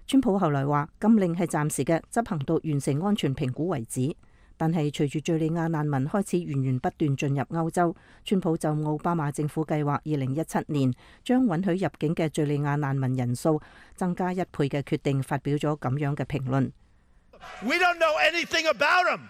川普後來話，禁令係暫時嘅，執行到完成安全評估為止。但係隨住敘利亞難民開始源源不斷進入歐洲，川普就奧巴馬政府計劃2017年將允許入境嘅敘利亞難民人數增加1倍嘅決定發表咗咁樣嘅評論。We don't know anything about them.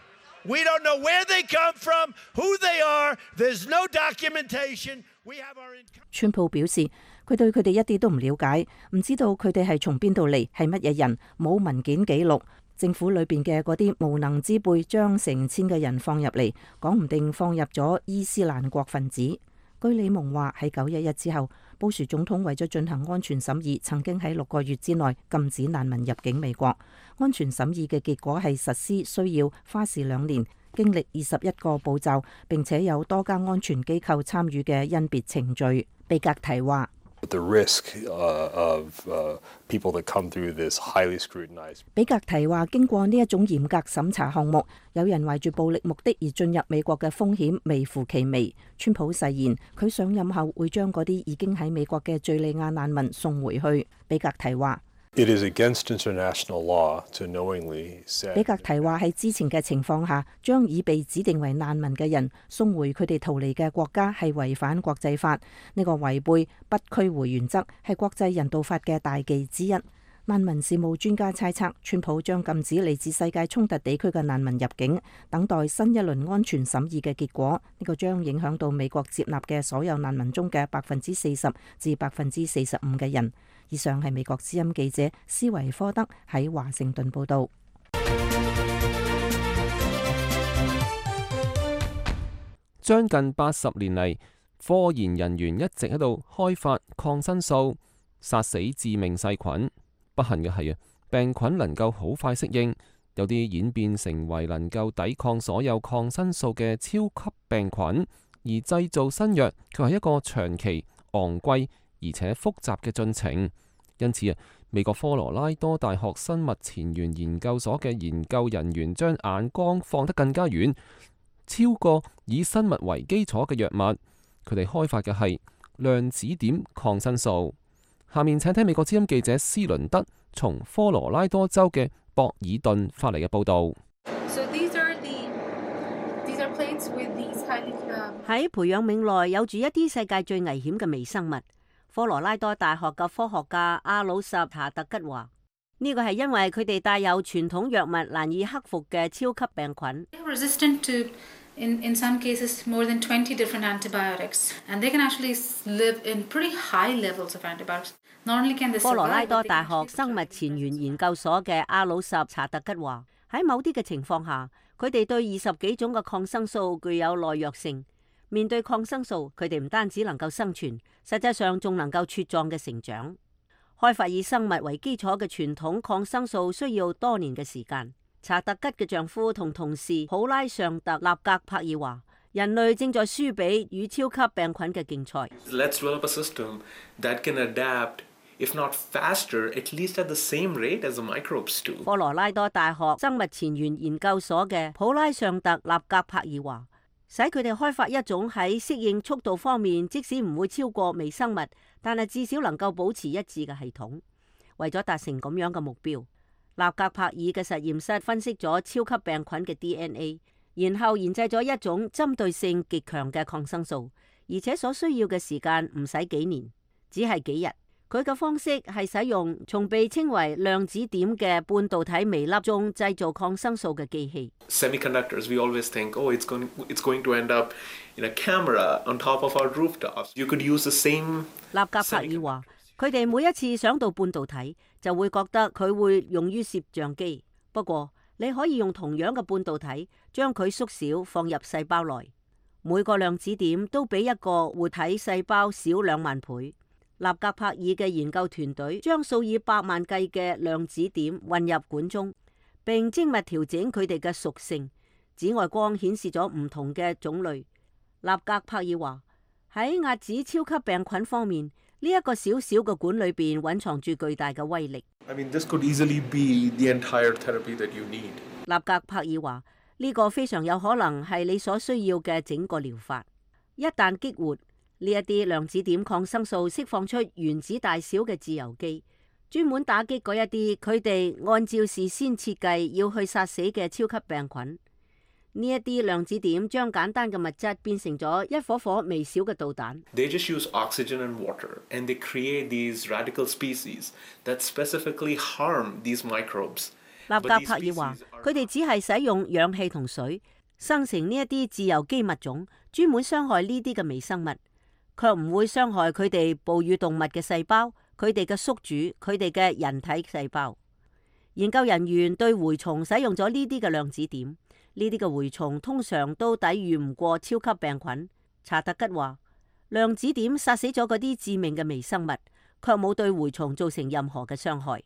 We don't know where they come from, who they are. There's no documentation. We have our... 川普表示，佢對佢哋一啲都唔了解，唔知道佢哋係從邊度嚟，係乜嘢人，冇文件記錄。政府裏邊嘅嗰啲無能之輩將成千嘅人放入嚟，講唔定放入咗伊斯蘭國分子。據李蒙話，喺911之後，布殊總統為咗進行安全審議，曾經喺6個月之內禁止難民入境美國。安全審議嘅結果係實施需要花時2年，經歷21個步驟，並且有多家安全機構參與嘅甄別程序。比格提話：The risk of people that come through this highly scrutinized. 比格提話，經過呢一種嚴格審查項目，有人懷住暴力目的而進入美國嘅風險微乎其微。川普誓言，佢上任後會將嗰啲已經喺美國嘅敘利亞難民送回去。比格提話：It is against international law to knowingly say. 比格提話，喺之前嘅情況下，將已被指定為難民嘅人送回佢哋逃離嘅國家係違反國際法。呢個違背不驅回原則係國際人道法嘅大忌之一。難民事務專家猜測，川普將禁止嚟自世界衝突地區嘅難民入境，等待新一輪安全審議嘅結果。呢個將影響到美國接納嘅所有難民中嘅40%至45%嘅人。以上係美國之音記者斯維科德喺華盛頓報道。將近80年嚟，科研人員一直喺度開發抗生素，殺死致命細菌。不幸嘅係病菌能夠好快適應，有啲演變成為能夠抵抗所有抗生素嘅超級病菌。而製造新藥卻係一個長期、昂貴而且複雜嘅進程。因此美國科羅拉多大學生物前沿研究所嘅研究人員將眼光放得更加遠，超過以生物為基礎嘅藥物。佢哋開發嘅係量子點抗生素。下面請聽美國之音記者斯倫德從科羅拉多州嘅博爾頓發嚟嘅報導。喺培養皿內有住一啲世界最危險嘅微生物。科羅拉多大學嘅科學家阿魯什查特吉話：呢個係因為佢哋帶有傳統藥物難以克服嘅超級病菌。In some cases, more than 20 different antibiotics, and they can actually live in pretty high levels of antibiotics. Not only can they survive, 科羅拉多大學生物前沿研究所嘅阿魯什查特吉話：喺某啲嘅情況下，佢哋對20幾種嘅抗生素具有耐藥性。面對抗生素，佢哋唔單止能夠生存，實際上仲能夠茁壯嘅成長。開發以生物為基礎嘅傳統抗生素需要多年嘅時間。查特吉嘅丈夫同同事普拉尚特納格柏爾話：人類正在輸俾與超級病菌嘅競賽。Let's develop a system that can adapt, if not faster, at least at the same rate as the microbes do. 科羅拉多大學生物前沿研究所嘅普拉尚特納格柏爾話：使佢哋開發一種喺適應速度方面，即使唔會超過微生物，但係至少能夠保持一致嘅系統。為咗達成咁樣嘅目標，納格柏爾嘅實驗室分析咗超級病菌嘅 DNA， 然後研製咗一種針對性極強嘅抗生素，而且所需要嘅時間唔使幾年，只係幾日。佢嘅方式係使用從被稱為量子點嘅半導體微粒中製造抗生素嘅機器。Semiconductors, we always think, oh, it's going to end up in a camera on top of our rooftops. You could use the same. 納格柏爾話：佢哋每一次想到半導體，就會覺得佢會用於攝像機。不過，你可以用同樣嘅半導體，將佢縮小放入細胞內。每個量子點都比一個活體細胞少2萬倍。納格柏爾嘅研究團隊將數以百萬計嘅量子點混入管中，並精密調整佢哋嘅屬性。紫外光顯示咗唔同嘅種類。納格柏爾話：喺遏止超級病菌方面，呢一個小小嘅管裏邊蘊藏住巨大嘅威力。I mean, this could easily be the entire therapy that you need. 納格柏爾話：呢個非常有可能係你所需要嘅整個療法。一旦激活呢一啲量子點抗生素，釋放出原子大小嘅自由基，專門打擊嗰一啲佢哋按照事先設計要去殺死嘅超級病菌。呢一啲量子點將簡單嘅物質變成咗一顆顆微小嘅導彈。They just use oxygen and water, and they create these radical species that specifically harm these microbes. 納格柏爾話：佢哋只係使用氧氣同水生成呢一啲自由基物種，專門傷害呢啲嘅微生物，卻唔會傷害佢哋哺乳動物嘅細胞、佢哋嘅宿主、佢哋嘅人體細胞。研究人員對蛔蟲使用咗呢啲嘅量子點，呢啲嘅蛔蟲通常都抵禦唔過超級病菌。查特吉話：量子點殺死咗嗰啲致命嘅微生物，卻冇對蛔蟲造成任何嘅傷害。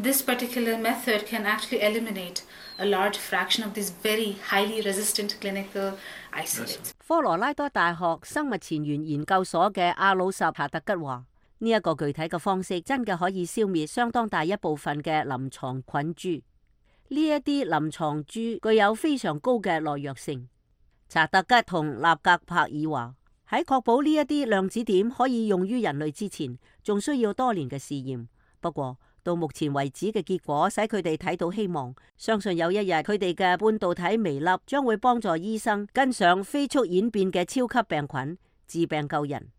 This particular method can actually eliminate a large fraction of these very highly resistant clinical isolates. 科羅拉多大學生物前沿研究所嘅阿魯什查特吉話：呢一個具體嘅方式真嘅可以消滅相當大一部分嘅臨床菌株。呢一啲臨床株具有非常高嘅耐藥性。查特吉同納格柏爾話：喺確保呢一啲量子點可以用於人類之前，仲需要多年嘅試驗。不過到目前為止嘅結果使佢哋睇到希望，相信有一日佢哋嘅半導體微粒將會幫助醫生跟上飛速演變嘅超級病菌，治病救人。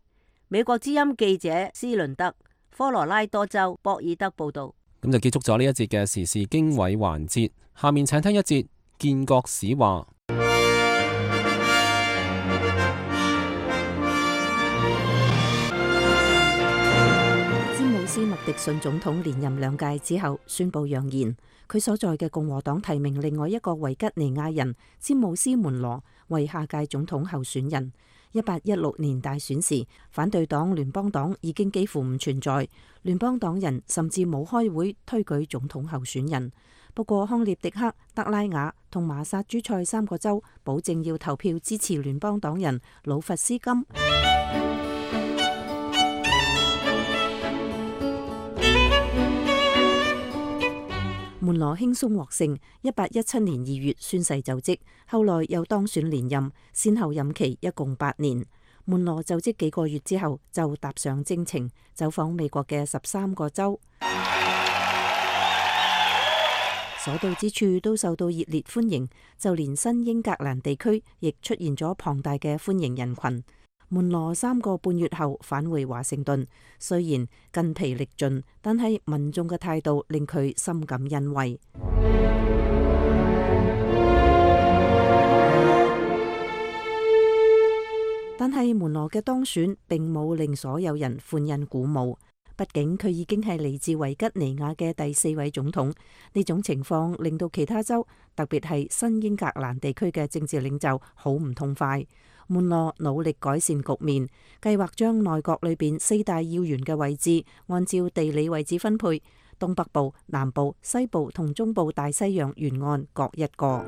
美國之音記者斯倫德，科羅拉多州博爾德報道。咁就結束咗呢一節嘅時事經緯環節，下面請聽一節建國史話。詹姆斯麥迪遜總統連任2屆之後，宣布揚言，佢所在嘅共和黨提名另外一個維吉尼亞人詹姆斯門羅為下屆總統候選人。1816年大選時，反對黨聯邦黨已經幾乎唔存在，聯邦黨人甚至冇開會推舉總統候選人。不過康涅狄克、德拉瓦同馬薩諸塞3個州保證要投票支持聯邦黨人魯弗斯金。門羅輕鬆獲勝，1817年2月宣誓就職，後來又當選連任，先後任期一共8年。門羅就職幾個月之後，就踏上征程，走訪美國嘅13個州，所到之處都受到熱烈歡迎，就連新英格蘭地區亦出現咗龐大嘅歡迎人群。門羅3個半月後返回華盛頓，雖然筋疲力盡，但係民眾嘅態度令佢深感欣慰。但係門羅嘅當選並冇令所有人歡欣鼓舞，畢竟佢已經係嚟自維吉尼亞嘅第4位總統。呢種情況令到其他州，特別係新英格蘭地區嘅政治領袖好唔痛快。門羅努力改善局面，計劃將內閣裏邊4大要員嘅位置按照地理位置分配，東北部、南部、西部同中部大西洋沿岸各一個。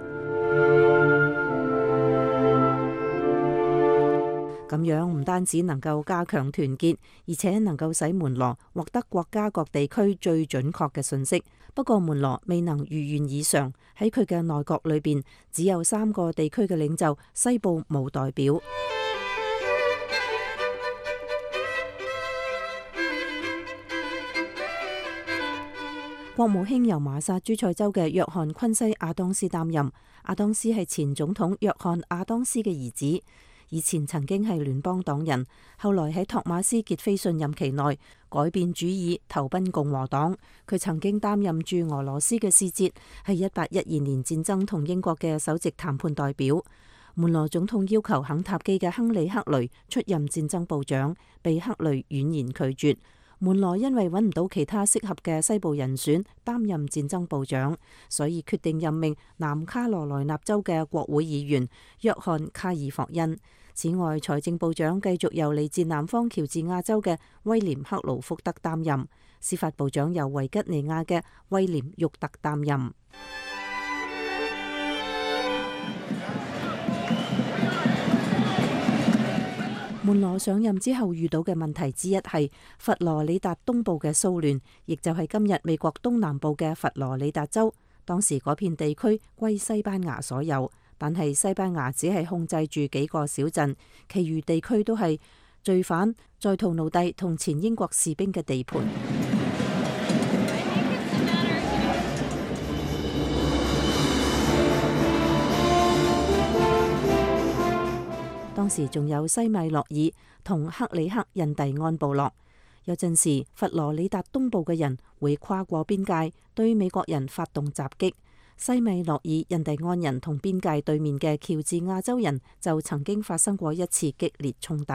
咁樣唔單止能夠加強團結，而且能夠使門羅獲得國家各地區最準確嘅信息。不過門羅未能如願以償，喺佢嘅內閣裏邊只有3個地區嘅領袖，西部冇代表。國務卿由馬薩諸塞州嘅約翰昆西亞當斯擔任。亞當斯係前總統約翰亞當斯嘅兒子。以前曾經係聯邦黨人，後來喺托馬斯傑菲遜任期內改變主意，投奔共和黨。佢曾經擔任駐俄羅斯嘅使節，係1812年戰爭同英國嘅首席談判代表。門羅總統要求肯塔基嘅亨利克雷出任戰爭部長，被克雷婉言拒絕。門羅因為揾唔到其他適合嘅西部人選擔任戰爭部長，所以決定任命南卡羅來納州嘅國會議員約翰卡爾霍恩。此外，財政部長繼續由嚟自南方喬治亞州嘅威廉克勞福德擔任，司法部長由維吉尼亞嘅威廉沃特擔任。門羅上任之後遇到嘅問題之一係佛羅里達東部嘅騷亂，亦就係今日美國東南部嘅佛羅里達州。當時嗰片地區歸西班牙所有，但係西班牙只係控制住幾個小鎮，其餘地區都係罪犯、在逃奴隸同前英國士兵嘅地盤。當時仲有西米諾爾同克里克印第安部落。有陣時佛羅里達東部嘅人會跨過邊界對美國人發動襲擊。西米諾爾印第安人同邊界對面嘅喬治亞州人就曾經發生過一次激烈衝突。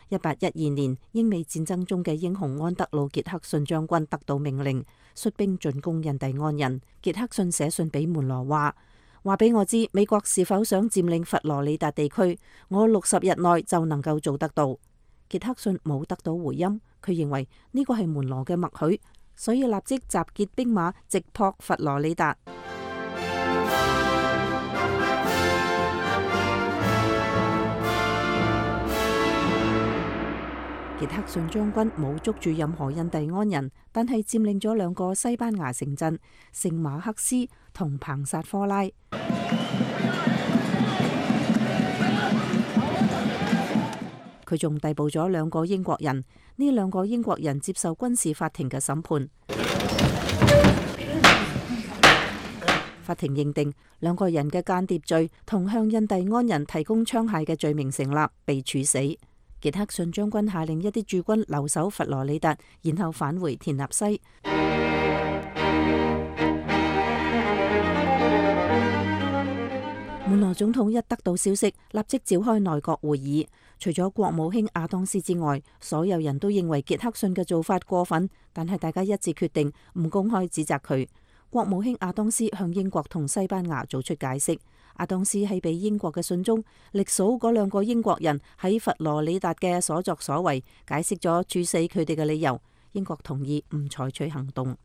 1812年，英美戰爭中嘅英雄安德魯傑克遜將軍得到命令，率兵進攻印第安人。傑克遜寫信俾門羅話俾我知美國是否想佔領佛羅里達地區，我60日內就能夠做得到。傑克遜冇得到回音，佢認為呢個係門羅嘅默許，所以立即集結兵馬直撲佛羅里達。傑克遜將軍冇捉住任何印第安人，但係佔領咗2個西班牙城鎮聖馬克斯同彭薩科拉。佢仲逮捕咗2個英國人，呢2個英國人接受軍事法庭嘅審判。法庭認定2個人嘅間諜罪同向印第安人提供槍械嘅罪名成立，被處死。傑克遜將軍下令一啲駐軍留守佛羅里達，然後返回田納西。門羅總統一得到消息，立即召開內閣會議。除咗國務卿亞當斯之外，所有人都認為傑克遜嘅做法過分，但係大家一致決定唔公開指責佢。國務卿亞當斯向英國同西班牙做出解釋。亞當斯喺俾英國嘅信中，歷數嗰2個英國人喺佛羅里達嘅所作所為，解釋咗處死佢哋嘅理由。英國同意唔採取行動。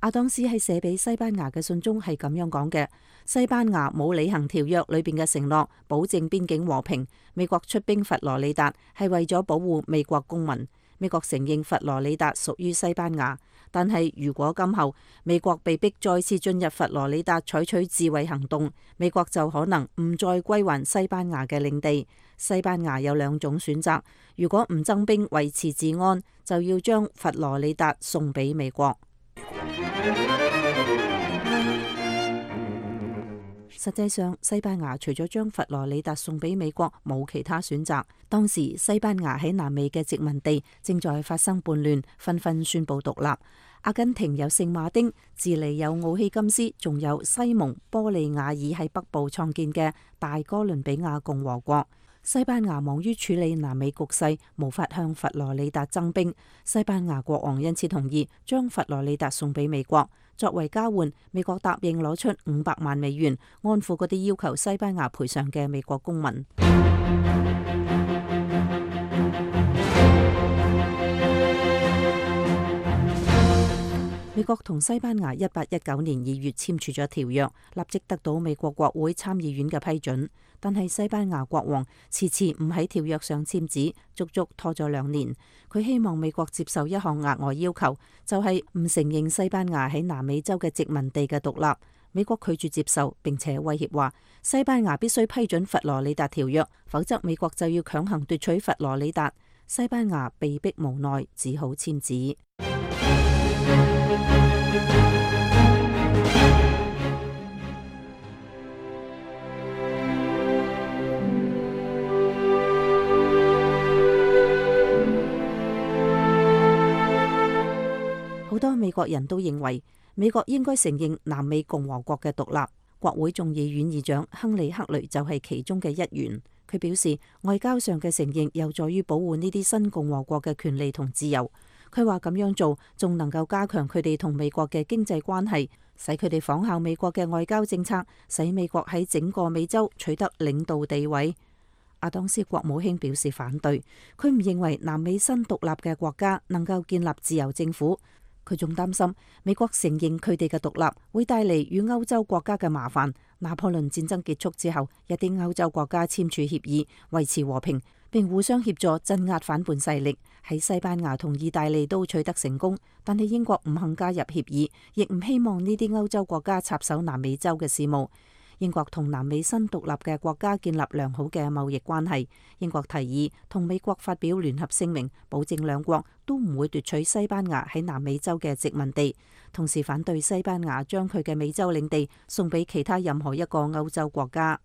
亞當斯喺寫俾西班牙嘅信中係咁樣講嘅：西班牙冇履行條約裏邊嘅承諾，保證邊境和平。美國出兵佛羅里達係為咗保護美國公民。美國承認佛羅里達屬於西班牙，但係如果今後美國被逼再次進入佛羅里達採取自衛行動，美國就可能唔再歸還西班牙嘅領地。西班牙有2種選擇：如果唔增兵維持治安，就要將佛羅里達送俾美國。實際上，西班牙除咗將佛羅里達送俾美國，冇其他選擇。當時西班牙喺南美嘅殖民地正在發生叛亂，紛紛宣布獨立。阿根廷有聖馬丁，智利有奧希金斯，仲有西蒙波利亞爾喺北部創建嘅大哥倫比亞共和國。西班牙忙於處理南美局勢，無法向佛羅里達增兵。西班牙國王因此同意將佛羅里達送俾美國。作為交換，美國答應攞出500萬美元，安撫嗰啲要求西班牙賠償嘅美國公民。美國同西班牙1819年2月簽署咗條約，立即得到美國國會參議院嘅批准。但係西班牙國王遲遲唔喺條約上簽字，足足拖咗2年。佢希望美國接受一項額外要求，就係唔承認西班牙喺南美洲嘅殖民地嘅獨立。美國拒絕接受，並且威脅話西班牙必須批准佛羅里達條約，否則美國就要強行奪取佛羅里達。西班牙被迫無奈，只好簽字。好多美國人都認為美國應該承認南美共和國嘅獨立。國會眾議院議長亨利·克雷就係其中嘅一員。佢表示，外交上嘅承認有助於保護呢啲新共和國嘅權利同自由。佢話咁樣做仲能夠加強佢哋同美國嘅經濟關係，使佢哋仿效美國嘅外交政策，使美國喺整個美洲取得領導地位。亞當斯國務卿表示反對，佢唔認為南美新獨立嘅國家能夠建立自由政府。佢仲擔心美國承認佢哋嘅獨立會帶嚟與歐洲國家嘅麻煩。拿破崙戰爭結束之後，一啲歐洲國家簽署協議維持和平，並互相協助鎮壓反叛勢力。喺西班牙同意大利都取得成功，但係英國唔肯加入協議，亦唔希望呢啲歐洲國家插手南美洲嘅事務。英國同南美新獨立嘅國家建立良好嘅貿易關係。英國提議同美國發表聯合聲明，保證兩國都唔會奪取西班牙喺南美洲嘅殖民地，同時反對西班牙將佢嘅美洲領地送俾其他任何一個歐洲國家。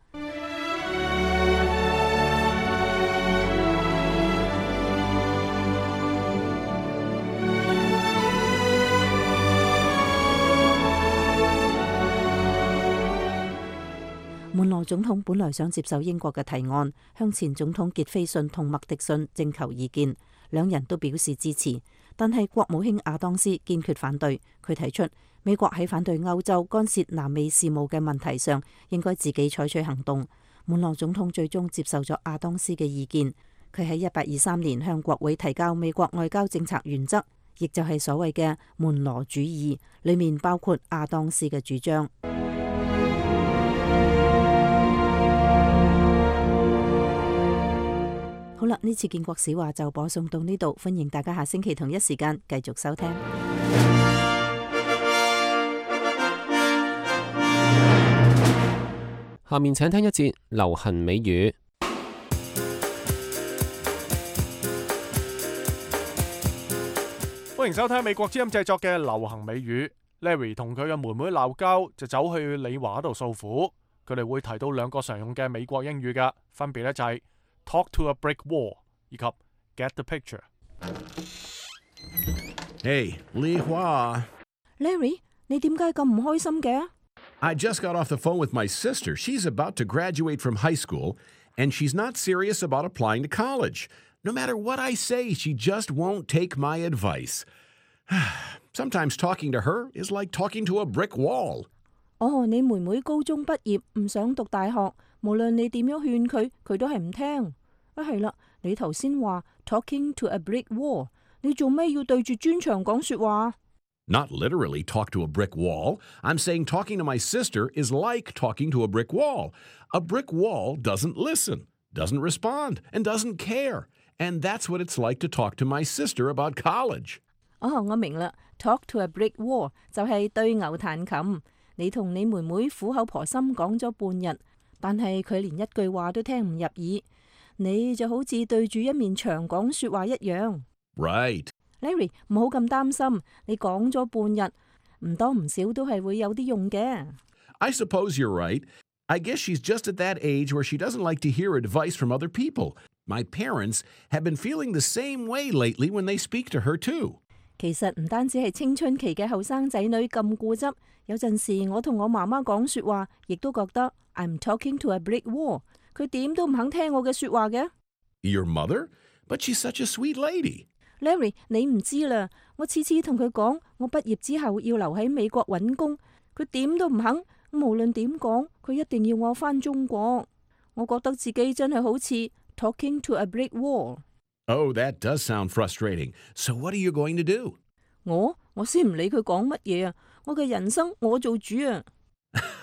門羅總統本來想接受英國嘅提案，向前總統傑斐遜同麥迪遜徵求意見，2人都表示支持。但係國務卿亞當斯堅決反對，佢提出美國喺反對歐洲干涉南美事務嘅問題上，應該自己採取行動。門羅總統最終接受咗亞當斯嘅意見，佢喺1823年向國會提交美國外交政策原則，亦就係所謂嘅門羅主義，裏面包括亞當斯嘅主張。好啦，呢次建國史話就播送到呢度，歡迎大家下星期同一時間繼續收聽。下面請聽一節流行美語。歡迎收聽美國之音製作嘅流行美語。Larry 同佢嘅妹妹鬧交，就走去李華度訴苦。佢哋會提到2個常用嘅美國英語㗎，分別咧就係Talk to a brick wall 以及 Get the picture。 Hey， 李華。Larry， 你點解咁唔開心嘅？ I just got off the phone with my sister. She's about to graduate from high school, and she's not serious about applying to college. No matter what I say, she just won't take my advice. Sometimes talking to her is like talking to a brick wall. 你妹妹高中畢業唔想讀大學，無論你點樣勸佢，佢都係唔聽。係啦，你頭先話 talking to a brick wall， 你做咩要對住磚牆講說話？ Not literally talk to a brick wall. I'm saying talking to my sister is like talking to a brick wall. A brick wall doesn't listen, doesn't respond, and doesn't care. And that's what it's like to talk to my sister about college. 我明啦 ，talk to a brick wall 就係對牛彈琴。你同你妹妹苦口婆心講咗半日，但係佢連一句話都聽唔入耳。你就好似對住一面牆講說話一樣。Right.Larry， 唔好咁擔心，你講咗半日，唔多唔少都係會有啲用嘅。I suppose you're right. I guess she's just at that age where she doesn't like to hear advice from other people. My parents have been feeling the same way lately when they speak to her too. 其實唔單止係青春期嘅後生仔女咁固執，有陣時我同我媽媽講說話，亦都覺得 I'm talking to a brick wall。佢點都唔肯聽我嘅說話嘅。Your mother? But she's such a sweet lady.Larry， 你唔知啦，我次次同佢講，我畢業之後要留喺美國揾工，佢點都唔肯。無論點講，佢一定要我返中國。我覺得自己真係好似 talking to a brick wall。Oh, that does sound frustrating. So what are you going to do? 我先唔理佢講乜嘢啊！我嘅人生我做主啊！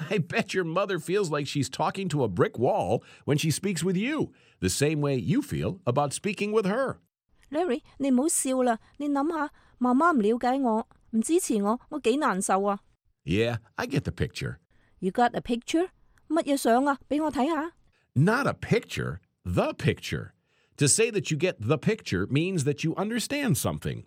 I bet your mother feels like she's talking to a brick wall when she speaks with you, the same way you feel about speaking with her.Larry， 你唔好笑啦！你諗下，媽媽唔了解我，唔支持我，我幾難受啊 ！Yeah, I get the picture. You got a picture？ 乜嘢相啊？俾我睇下。Not a picture, the picture. To say that you get the picture means that you understand something.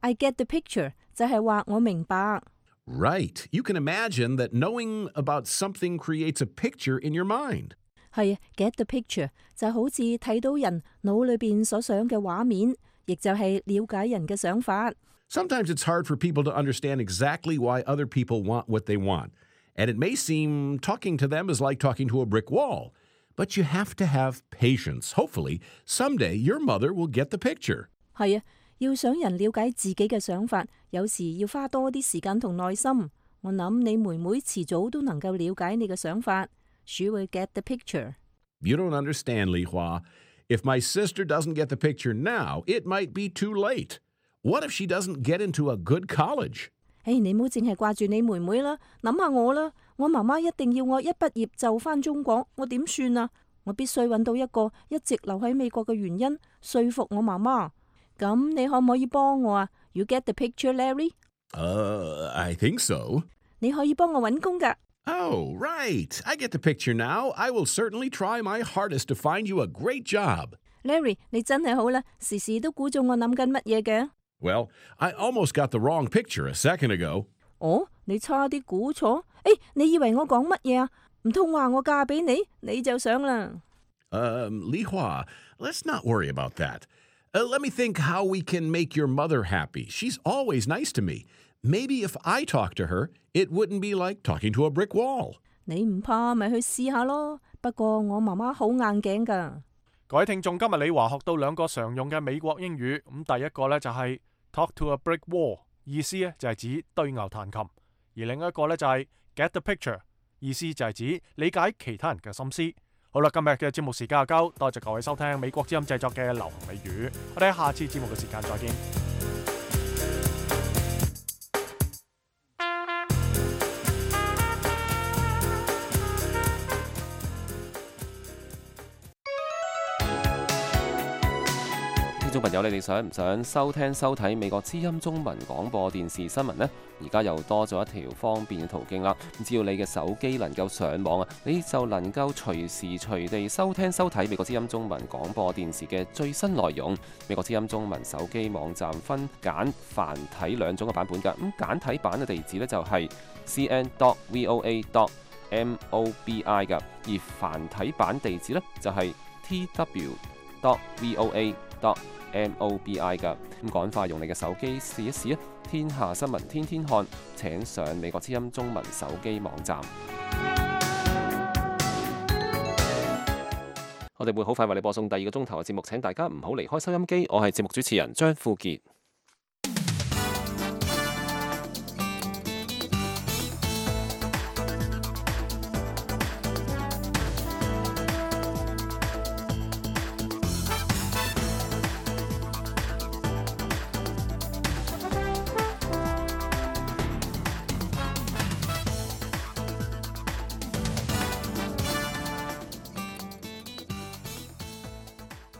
I get the picture 就係話我明白。Right. You can imagine that knowing about something creates a picture in your mind.係 get the picture 就好似睇到人腦裏邊所想嘅畫面，亦就係了解人嘅想法。Sometimes it's hard for people to understand exactly why other people want what they want. And it may seem talking to them is like talking to a brick wall. But you have to have patience. Hopefully, someday your mother will get the picture. 係要想人了解自己嘅想法，有時要花多啲時間同耐心。我諗你妹妹遲早都能夠了解你嘅想法。She will get the picture. You don't understand, Li Hua. If my sister doesn't get the picture now, it might be too late. What if she doesn't get into a good college? 你唔好淨係掛住你妹妹啦，諗下我啦。我媽媽一定要我一畢業就返中國，我點算啊？我必須揾到一個一直留喺美國嘅原因，說服我媽媽。咁你可唔可以幫我啊？ You get the picture, Larry? I think so. 你可以幫我揾工㗎。Oh, right. I get the picture now. I will certainly try my hardest to find you a great job. Larry, 你真係好啦，時時都估中我諗緊乜嘢嘅。Well, I almost got the wrong picture a second ago. 你差啲估錯？你以為我講乜嘢啊？唔通話我嫁俾你，你就想啦。Li Hua, let's not worry about that. Let me think how we can make your mother happy. She's always nice to me. Maybe if I talk to her, it wouldn't be like talking to a brick wall. 你唔怕咪去試下咯。不過我媽媽好硬頸㗎。各位聽眾，今日李華學到兩個常用嘅美國英語。咁第一個呢就係 talk to a brick wall， 意思呢就係指對牛彈琴；而另一個呢就係 get the picture， 意思就係指理解其他人嘅心思。好啦，今日嘅節目時間就夠，多謝各位收聽美國之音製作嘅流行美語。我哋喺下次節目嘅時間再見。聽眾朋友，你哋想唔想收聽收睇美國之音中文廣播電視新聞呢？而家又多咗一條方便嘅途徑啦！只要你嘅手機能夠上網啊，你就能夠隨時隨地收聽收睇美國之音中文廣播電視嘅最新內容。美國之音中文手機網站分簡繁體兩種嘅版本㗎。咁簡體版嘅地址呢，就係 cn.voa.mobi 㗎，而繁體版地址呢，就係 tw.voa.mobi MOBI 㗎。咁趕快用你嘅手機試一試啊！天下新聞天天看，請上美國之音中文手機網站。我哋會好快為你播送第二個鐘頭嘅節目，請大家唔好離開收音機。我係節目主持人張富傑。